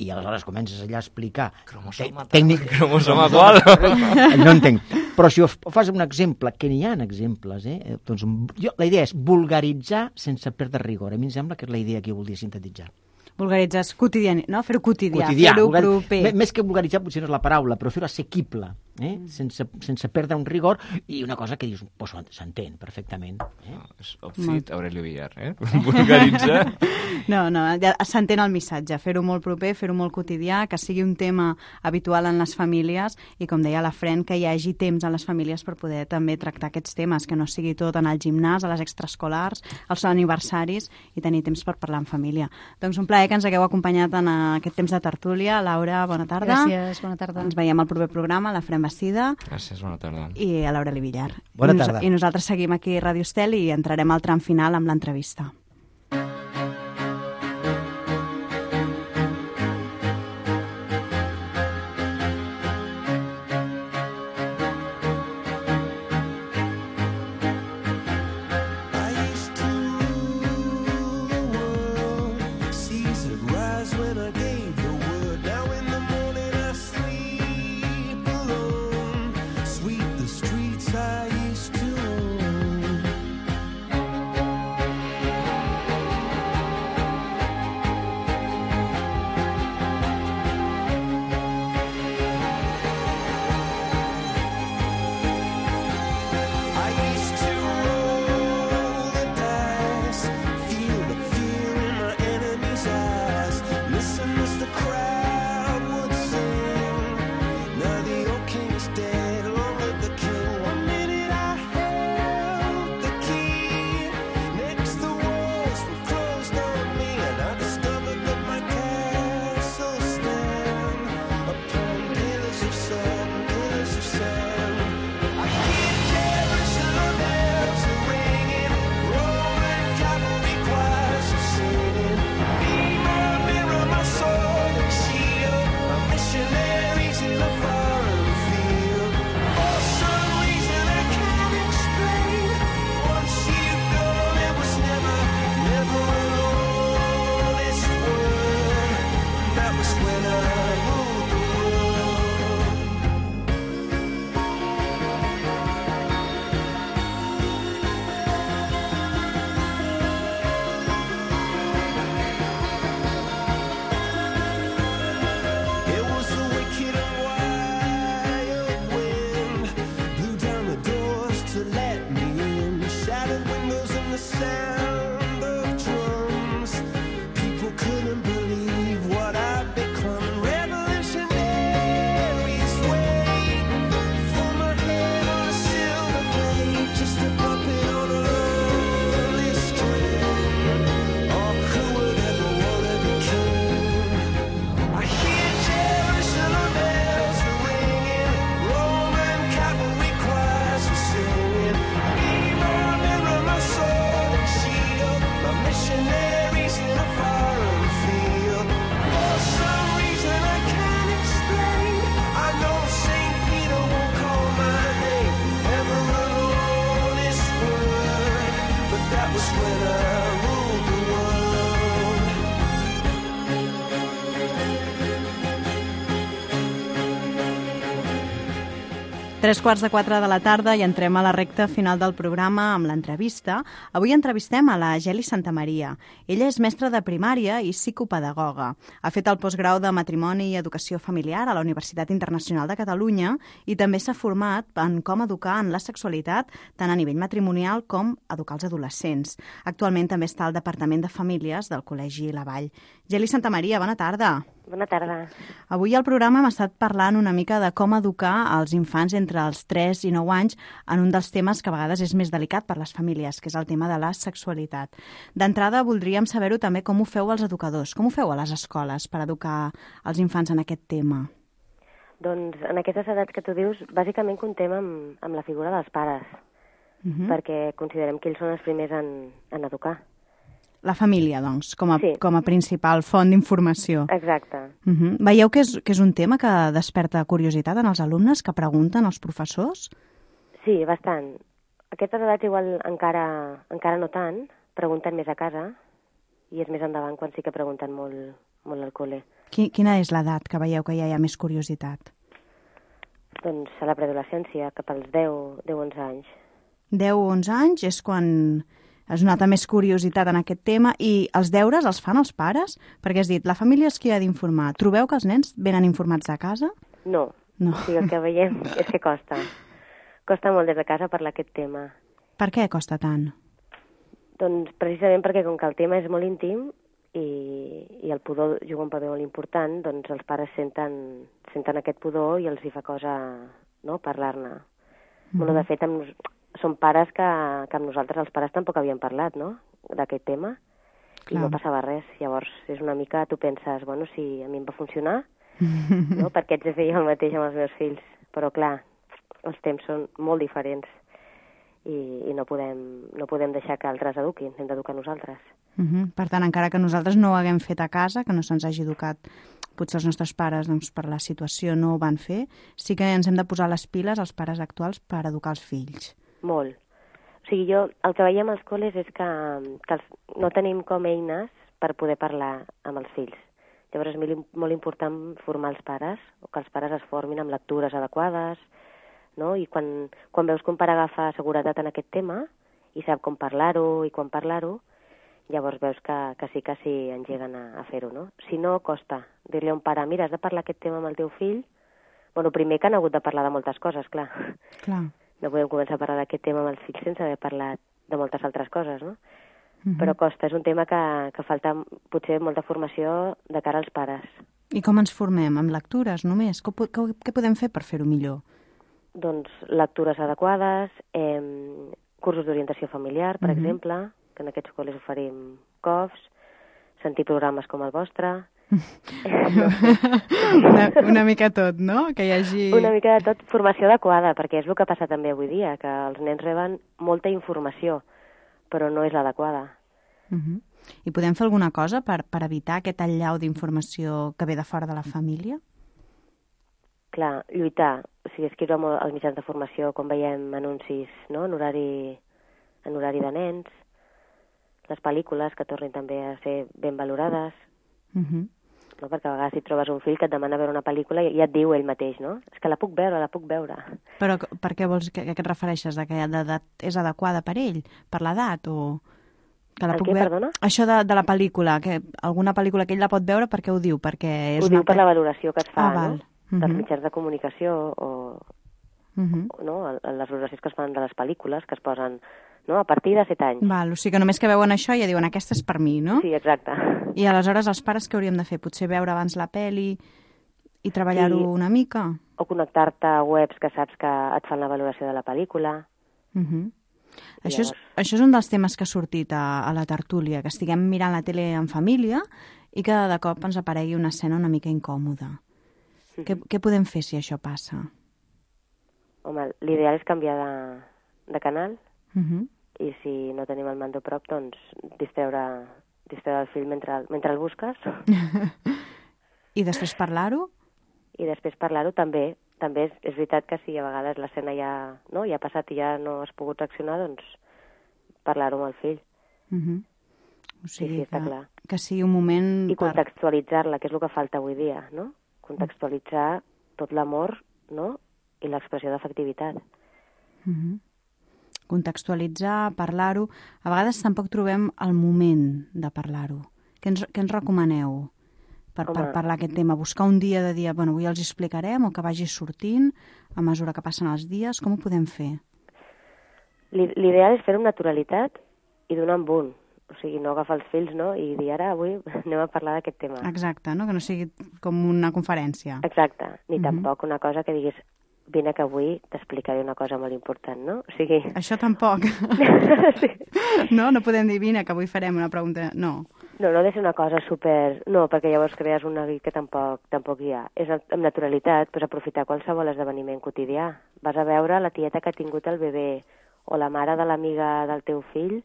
i aleshores comences allà a explicar cromosoma tècnic... cromosoma qual? No entenc, però si ho fas un exemple, que n'hi ha exemples, eh? doncs, jo, la idea és vulgaritzar sense perdre rigor. A mi em sembla que és la idea que jo volia sintetitzar. Vulgaritzar és quotidià, no? Fer-ho quotidià, quotidià fer-ho vulgar... proper. Més que vulgaritzar potser no és la paraula, però fer-ho assequible, eh? mm. sense, sense perdre un rigor i una cosa que dius, pues, s'entén perfectament. Eh? No, és outfit Aurelio Villar, eh? Vulgaritzar. No, no, ja s'entén el missatge, fer-ho molt proper, fer-ho molt quotidià, que sigui un tema habitual en les famílies i, com deia la Fren, que hi hagi temps en les famílies per poder també tractar aquests temes, que no sigui tot en el gimnàs, a les extraescolars, als aniversaris i tenir temps per parlar en família. Doncs un plaer que ens hagueu acompanyat en aquest temps de tertúlia. Laura, bona tarda. Gràcies, bona tarda. Ens veiem al proper programa. La Fren Messida. Gràcies, bona tarda. I a l'Aureli Villar. Bona I nos- tarda. I nosaltres seguim aquí a Ràdio Estel i entrarem al tram final amb l'entrevista. Tres quarts de quatre de la tarda i entrem a la recta final del programa amb l'entrevista. Avui entrevistem a la Geli Santamaria. Ella és mestra de primària i psicopedagoga. Ha fet el postgrau de Matrimoni i Educació Familiar a la Universitat Internacional de Catalunya i també s'ha format en com educar en la sexualitat tant a nivell matrimonial com educar els adolescents. Actualment també està al Departament de Famílies del Col·legi La Vall. Geli Santamaria, bona tarda. Bona tarda. Avui al programa hem estat parlant una mica de com educar els infants entre els tres i nou anys en un dels temes que a vegades és més delicat per les famílies, que és el tema de la sexualitat. D'entrada, voldríem saber-ho també com ho feu els educadors, com ho feu a les escoles per educar els infants en aquest tema. Doncs en aquestes edats que tu dius, bàsicament contem amb, amb la figura dels pares, uh-huh. perquè considerem que ells són els primers en, en educar. La família, doncs, com a, sí. com a principal font d'informació. Exacte. Uh-huh. Veieu que és, que és un tema que desperta curiositat en els alumnes, que pregunten als professors? Sí, bastant. Aquestes edats igual encara, encara no tant, pregunten més a casa, i és més endavant quan sí que pregunten molt, molt al col·le. Quina és l'edat que veieu que ja hi ha més curiositat? Doncs a la preadolescència, cap als deu, onze anys. deu o onze anys és quan es nota més curiositat en aquest tema, i els deures els fan els pares? Perquè has dit, la família és qui ha d'informar. Trobeu que els nens venen informats de casa? No, no. O sigui, el que veiem és que costa. Costa molt des de casa parlar aquest tema. Per què costa tant? Doncs precisament perquè com que el tema és molt íntim i, i el pudor juga un paper molt important, doncs els pares senten, senten aquest pudor i els hi fa cosa, no?, parlar-ne. Mm-hmm. Bueno, de fet, amb, són pares que, que amb nosaltres els pares tampoc havien parlat, no?, d'aquest tema. Clar. I no passava res. Llavors, és una mica, tu penses, bueno, si a mi em va funcionar, no?, perquè haig de fer el mateix amb els meus fills. però clar, els temps són molt diferents i, i no, podem, no podem deixar que altres eduquin, hem d'educar nosaltres. Uh -huh. Per tant, encara que nosaltres no ho haguem fet a casa, que no se'ns hagi educat, potser els nostres pares, doncs, per la situació no ho van fer, sí que ens hem de posar les piles, els pares actuals, per educar els fills. Molt. O sigui, jo el que veiem als col·les és que, que els, no tenim com eines per poder parlar amb els fills. Llavors és molt important formar els pares, o que els pares es formin amb lectures adequades, no? I quan, quan veus que un pare agafa seguretat en aquest tema i sap com parlar-ho i quan parlar-ho, llavors veus que, que sí que sí engeguen a, a fer-ho, no? Si no, costa dir-li a un pare, mira, has de parlar aquest tema amb el teu fill. Bueno, primer que han hagut de parlar de moltes coses, clar. Clar. No podem començar a parlar d'aquest tema amb els fills sense haver parlat de moltes altres coses, no? Uh -huh. Però costa, és un tema que, que falta potser molta formació de cara als pares. I com ens formem? Amb lectures només? Què, què, què podem fer per fer-ho millor? Doncs lectures adequades, eh, cursos d'orientació familiar, per uh -huh. exemple, que en aquests col·les oferim C O Fs, sentir programes com el vostre... una, una mica tot, no? Que hi hagi... Una mica de tot, formació adequada, perquè és el que passa també avui dia, que els nens reben molta informació, però no és l'adequada. Uh -huh. I podem fer alguna cosa per, per evitar aquest allau d'informació que ve de fora de la família? Clar, lluitar, o sigui, escriure molt als mitjans de formació quan veiem anuncis, no?, en horari, en horari de nens, les pel·lícules que tornin també a ser ben valorades, uh -huh. no? Perquè a vegades si trobes un fill que et demana veure una pel·lícula i ja et diu ell mateix, no? És que la puc veure, la puc veure. Però per què vols, que, que et refereixes? De que l'edat és adequada per ell? Per l'edat? O que la el puc què, veure? perdona? Això de, de la pel·lícula, que alguna pel·lícula que ell la pot veure, per què ho diu? Perquè és ho una... diu per la valoració que es fa, ah, val. no? Uh -huh. Dels mitjans de comunicació o... Uh -huh. no? Les valoracions que es fan de les pel·lícules, que es posen, no?, a partir de set anys. Val, o sigui que només que veuen això ja diuen aquesta és per mi, no? Sí, exacte. I aleshores els pares què hauríem de fer? Potser veure abans la pel·li i treballar-ho sí. una mica? O connectar-te a webs que saps que et fan la valoració de la pel·lícula. Uh -huh. Això, Llavors... és, això és un dels temes que ha sortit a, a la tertúlia, que estiguem mirant la tele en família i que de cop ens aparegui una escena una mica incòmoda. Uh -huh. Què, què podem fer si això passa? Home, l'ideal és canviar de, de canal. Uh -huh. I si no tenim el mando a prop, doncs distreure, distreure el fill mentre, mentre el busques. I després parlar-ho? I després parlar-ho també. També és, és veritat que si a vegades l'escena ja, no, ja ha passat i ja no has pogut reaccionar, doncs parlar-ho amb el fill. Uh -huh. O sigui sí, sí, està que, clar. que sigui un moment... I per... contextualitzar-la, que és el que falta avui dia, no? Contextualitzar tot l'amor, no?, i l'expressió d'afectivitat. Uh -huh. Contextualitzar, parlar-ho... A vegades tampoc trobem el moment de parlar-ho. Què ens, què ens recomaneu per, per parlar aquest tema? Buscar un dia de dir, bueno, avui els explicarem, o que vagi sortint a mesura que passen els dies? Com ho podem fer? L'ideal és fer-ho amb naturalitat i donar amb un. O sigui, no agafar els fills, no?, i dir, ara, avui anem a parlar d'aquest tema. Exacte, no?, que no sigui com una conferència. Exacte, ni uh -huh. tampoc una cosa que diguis, vine que avui t'explicaré una cosa molt important, no? O sigui... Això tampoc. sí. No? No podem dir, vine, que avui farem una pregunta... No. No, no ha de ser una cosa super... No, perquè llavors crees un neguit que tampoc, tampoc hi ha. És amb naturalitat, pues, aprofitar qualsevol esdeveniment quotidià. Vas a veure la tieta que ha tingut el bebè, o la mare de l'amiga del teu fill,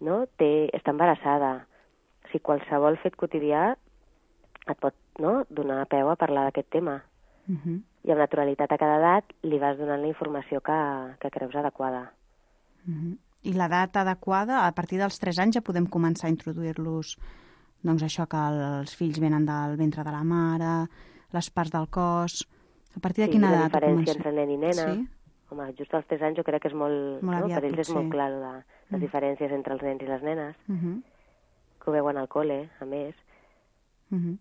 no?, té, està embarassada. O sigui, qualsevol fet quotidià et pot, no?, donar peu a parlar d'aquest tema. Uh -huh. I amb naturalitat a cada edat li vas donant la informació que, que creus adequada. Uh -huh. I l'edat adequada, a partir dels tres anys ja podem començar a introduir-los, doncs això, que els fills venen del ventre de la mare, les parts del cos... A partir de sí, quina edat? Sí, la diferència entre nen i nena. Sí? Home, just als tres anys jo crec que és molt... molt no? aviat, per ells potser. és molt clar de, les mm. diferències entre els nens i les nenes, uh -huh. que ho veuen al col·le, a més. Uh -huh.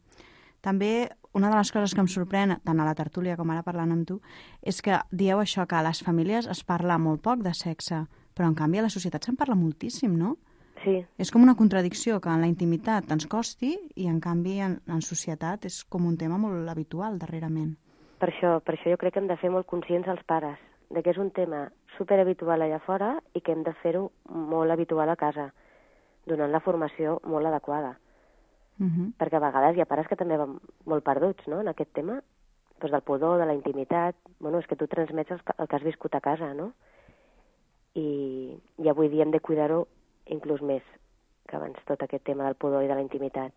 També una de les coses que em sorprèn, tant a la tertúlia com ara parlant amb tu, és que dieu això, que a les famílies es parla molt poc de sexe, però en canvi a la societat se'n parla moltíssim, no? Sí. És com una contradicció, que en la intimitat ens costi i en canvi en, en societat és com un tema molt habitual darrerament. Per això, per això jo crec que hem de fer molt conscients els pares de que és un tema superhabitual allà fora i que hem de fer-ho molt habitual a casa, donant la formació molt adequada. Uh -huh. Perquè a vegades hi ha pares que també van molt perduts, no?, en aquest tema. doncs del pudor, de la intimitat. Bueno, és que tu transmets el, el que has viscut a casa, no? I, i avui dia hem de cuidar-ho inclús més que abans, tot aquest tema del pudor i de la intimitat.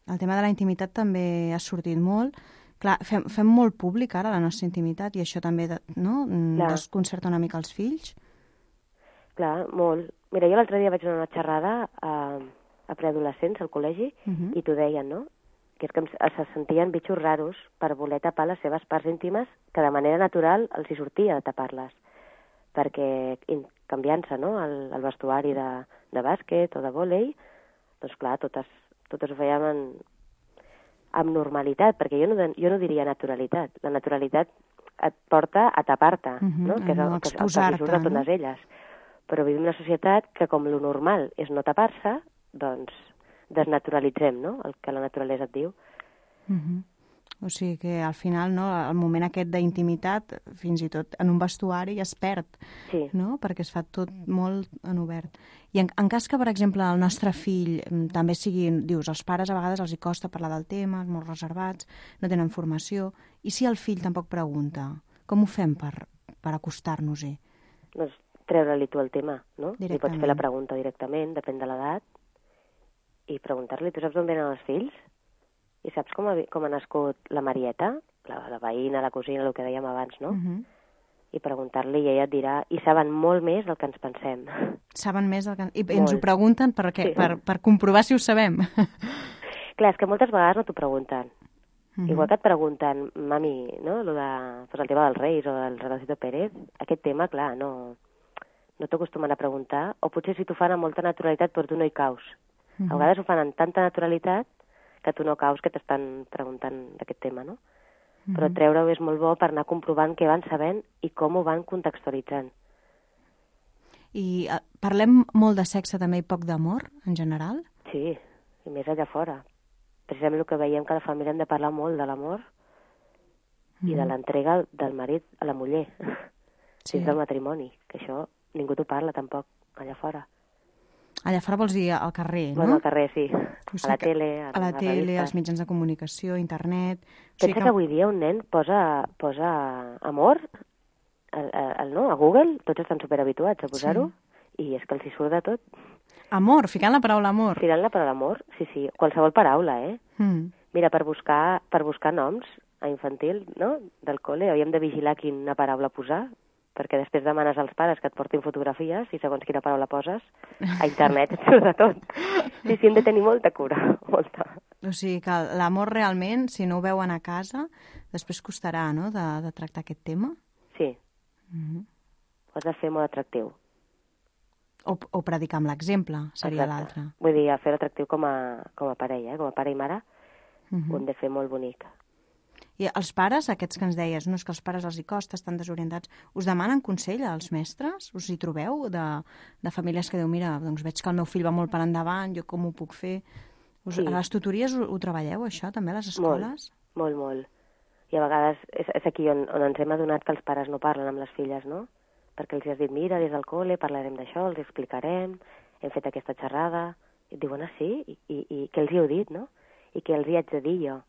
El tema de la intimitat també ha sortit molt. Clar, fem, fem molt públic ara la nostra intimitat i això també no? desconcerta una mica els fills. Clar, molt. Mira, jo l'altre dia vaig anar a una xerrada a, a preadolescents al col·legi uh -huh. i t'ho deien, no? Que és que se sentien bitxos raros per voler tapar les seves parts íntimes que de manera natural els hi sortia de tapar-les. Perquè canviant-se, no?, el, el vestuari de, de bàsquet o de vòlei, doncs clar, totes, totes ho fèiem en, amb normalitat, perquè jo no, jo no diria naturalitat. La naturalitat et porta a tapar-te, uh -huh, no?, que és el, el que surt de totes no? elles. Però vivim en una societat que, com lo normal és no tapar-se, doncs desnaturalitzem, no?, el que la naturalesa et diu. Uh -huh. O sigui que al final, no, el moment aquest d'intimitat, fins i tot en un vestuari, es perd, sí. no?, perquè es fa tot molt en obert. I en, en cas que, per exemple, el nostre fill també sigui, dius, els pares a vegades els hi costa parlar del tema, molt reservats, no tenen formació, i si el fill tampoc pregunta, com ho fem per, per acostar-nos-hi? Doncs treure-li tu el tema, no? Li pots fer la pregunta directament, depèn de l'edat, i preguntar-li, tu saps d'on venen els fills? I saps com ha, com ha nascut la Marieta, la, la veïna, la cosina, el que dèiem abans, no? Uh -huh. I preguntar-li i ella et dirà, i saben molt més del que ens pensem. Saben més del que... I molt. Ens ho pregunten per, què? Sí. per, per comprovar si ho sabem. Clar, és que moltes vegades no t'ho pregunten. Uh -huh. Igual que et pregunten, mami, no?, lo de, pues, el tema dels Reis o del Rocío Pérez, aquest tema, clar, no, no t'acostumen a preguntar, o potser si t'ho fan amb molta naturalitat, però tu no hi caus. Uh -huh. A vegades ho fan amb tanta naturalitat que tu no caus que t'estan preguntant d'aquest tema, no? Uh -huh. Però treure-ho és molt bo per anar comprovant què van sabent i com ho van contextualitzant. I uh, parlem molt de sexe també i poc d'amor, en general? Sí, i més allà fora. Precisament el que veiem que a la família hem de parlar molt de l'amor uh -huh. i de l'entrega del marit a la muller, sí. dins del matrimoni, que això ningú t'ho parla tampoc allà fora. Allà fora vols dir al carrer, no? Bueno, al carrer, sí. O sigui, a la tele, a, a la a tele, als mitjans de comunicació, internet... Pensa o sigui que... que avui dia un nen posa, posa amor el, el, el, no? a Google, tots estan superhabituats a posar-ho, sí. i és que els hi surt de tot. Amor, ficant la paraula amor. Ficant la paraula amor, sí, sí, qualsevol paraula, eh? Mm. Mira, per buscar, per buscar noms a infantil, no?, del col·le, hauríem de vigilar quina paraula posar, perquè després demanes als pares que et portin fotografies i segons quina paraula poses, a internet et surt de tot. Sí, sí, hem de tenir molta cura, molta. O sigui que l'amor realment, si no ho veuen a casa, després costarà, no?, de, de tractar aquest tema? Sí. Mm-hmm. Ho has de fer molt atractiu. O, o predicar amb l'exemple, seria l'altre. Vull dir, fer atractiu com a, com a parella, eh? com a pare i mare, mm-hmm. ho hem de fer molt bonic. I els pares, aquests que ens deies, no és que els pares els hi costa, estan desorientats, us demanen consell als mestres? Us hi trobeu de, de famílies que diu, mira, doncs veig que el meu fill va molt per endavant, jo com ho puc fer? Us, sí. A les tutories ho, ho treballeu, això, també, a les escoles? Molt, molt, molt. I a vegades és, és aquí on, on ens hem adonat que els pares no parlen amb les filles, no? Perquè els has dit, mira, des del col·le parlarem d'això, els explicarem, hem fet aquesta xerrada. I et diuen, ah, sí? I, i, i què els hi heu dit, no? I què els hi haig de dir jo?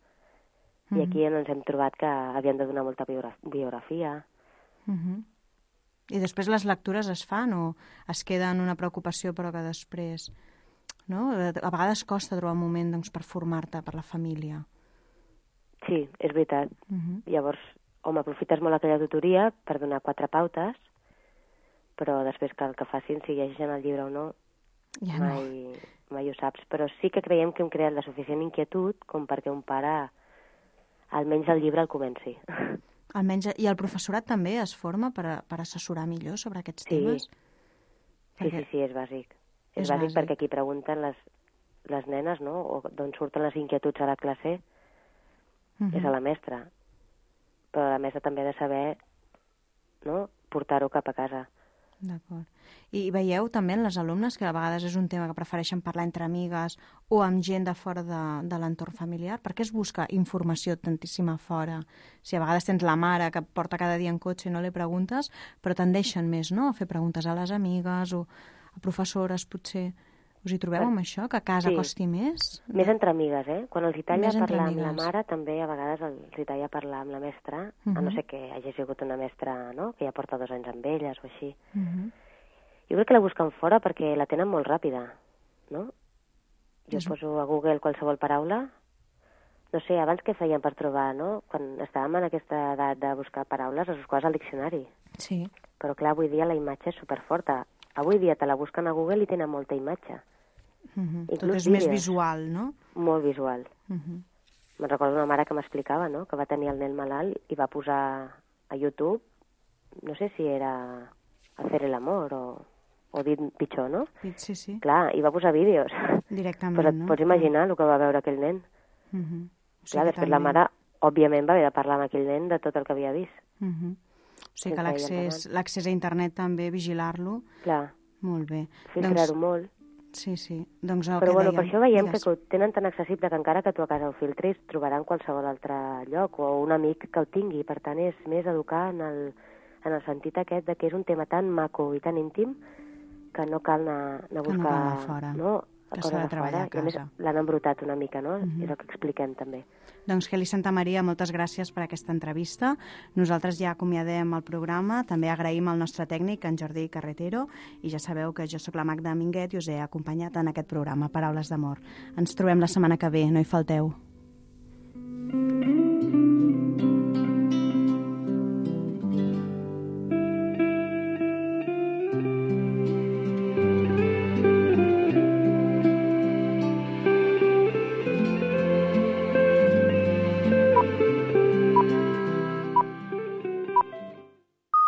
I aquí ens hem trobat que havien de donar molta biografia. Uh-huh. I després les lectures es fan o es queda en una preocupació però que després... No? A vegades costa trobar un moment doncs, per formar-te per la família. Sí, és veritat. Uh-huh. Llavors, home, aprofites molt aquella tutoria per donar quatre pautes, però després que el que facin, si llegeixen el llibre o no, ja mai, no. mai ho saps. Però sí que creiem que hem creat la suficient inquietud com perquè un pare... almenys el llibre el comenci. Almenys, i el professorat també es forma per, a, per assessorar millor sobre aquests sí. temes? Perquè... Sí, sí, sí, és bàsic. És, és bàsic, bàsic perquè aquí pregunten les, les nenes, no?, o d'on surten les inquietuds a la classe, uh-huh. és a la mestra. Però la mestra també ha de saber, no?, portar-ho cap a casa. D'acord. I veieu també en les alumnes que a vegades és un tema que prefereixen parlar entre amigues o amb gent de fora de, de l'entorn familiar? Per què es busca informació tantíssima fora? Si a vegades tens la mare que porta cada dia en cotxe i no li preguntes, però tendeixen més, no?, a fer preguntes a les amigues o a professores, potser. Us hi trobeu amb això, que a casa Sí. costi més? Més entre amigues, eh? Quan els hi talla Més entre parlar amb la amigues. mare, també a vegades els hi talla parlar amb la mestra, Mhm. a no ser que hagi sigut una mestra, no?, que ja porta dos anys amb elles o així. Mhm. Jo crec que la busquen fora perquè la tenen molt ràpida, no? Jo És- poso a Google qualsevol paraula. No sé, abans què feien per trobar, no? Quan estàvem en aquesta edat de buscar paraules, es buscaves al diccionari. Sí. Però clar, avui dia la imatge és superforta. Avui dia te la busquen a Google i tenen molta imatge. Mhm. Tot Inclús és més vídeos. visual, no? Molt visual. Mhm. Me'n recordo una mare que m'explicava, no?, que va tenir el nen malalt i va posar a YouTube, no sé si era Hacer el amor o, o dit pitjor, no? Sí, sí. Clar, i va posar vídeos. Directament, Però et no? pots imaginar el que va veure aquell nen. Mhm. O sigui Clar, que després la també- mare, òbviament, va haver de parlar amb aquell nen de tot el que havia vist. Mhm. O sigui que Sense l'accés ella l'accés a internet també, vigilar-lo. Clar, Molt bé. filtrar-ho molt. Sí, sí. Doncs el Però que bueno, dèiem, per això veiem digues. que ho tenen tan accessible que encara que tu a casa ho filtris, trobarà en qualsevol altre lloc o un amic que ho tingui. Per tant, és més educar en el, en el sentit aquest de que és un tema tan maco i tan íntim que no cal anar, anar a Que no buscar... cal anar fora, no, que coses s'ha de a treballar fora. a I a més casa. l'han embrutat una mica, no? Mhm. És el que expliquem també. Doncs Kelly Santamaria, moltes gràcies per aquesta entrevista. Nosaltres ja acomiadem el programa. També agraïm al nostre tècnic, en Jordi Carretero, i ja sabeu que jo sóc la Magda Minguet i us he acompanyat en aquest programa, Paraules d'amor. Ens trobem la setmana que ve, no hi falteu.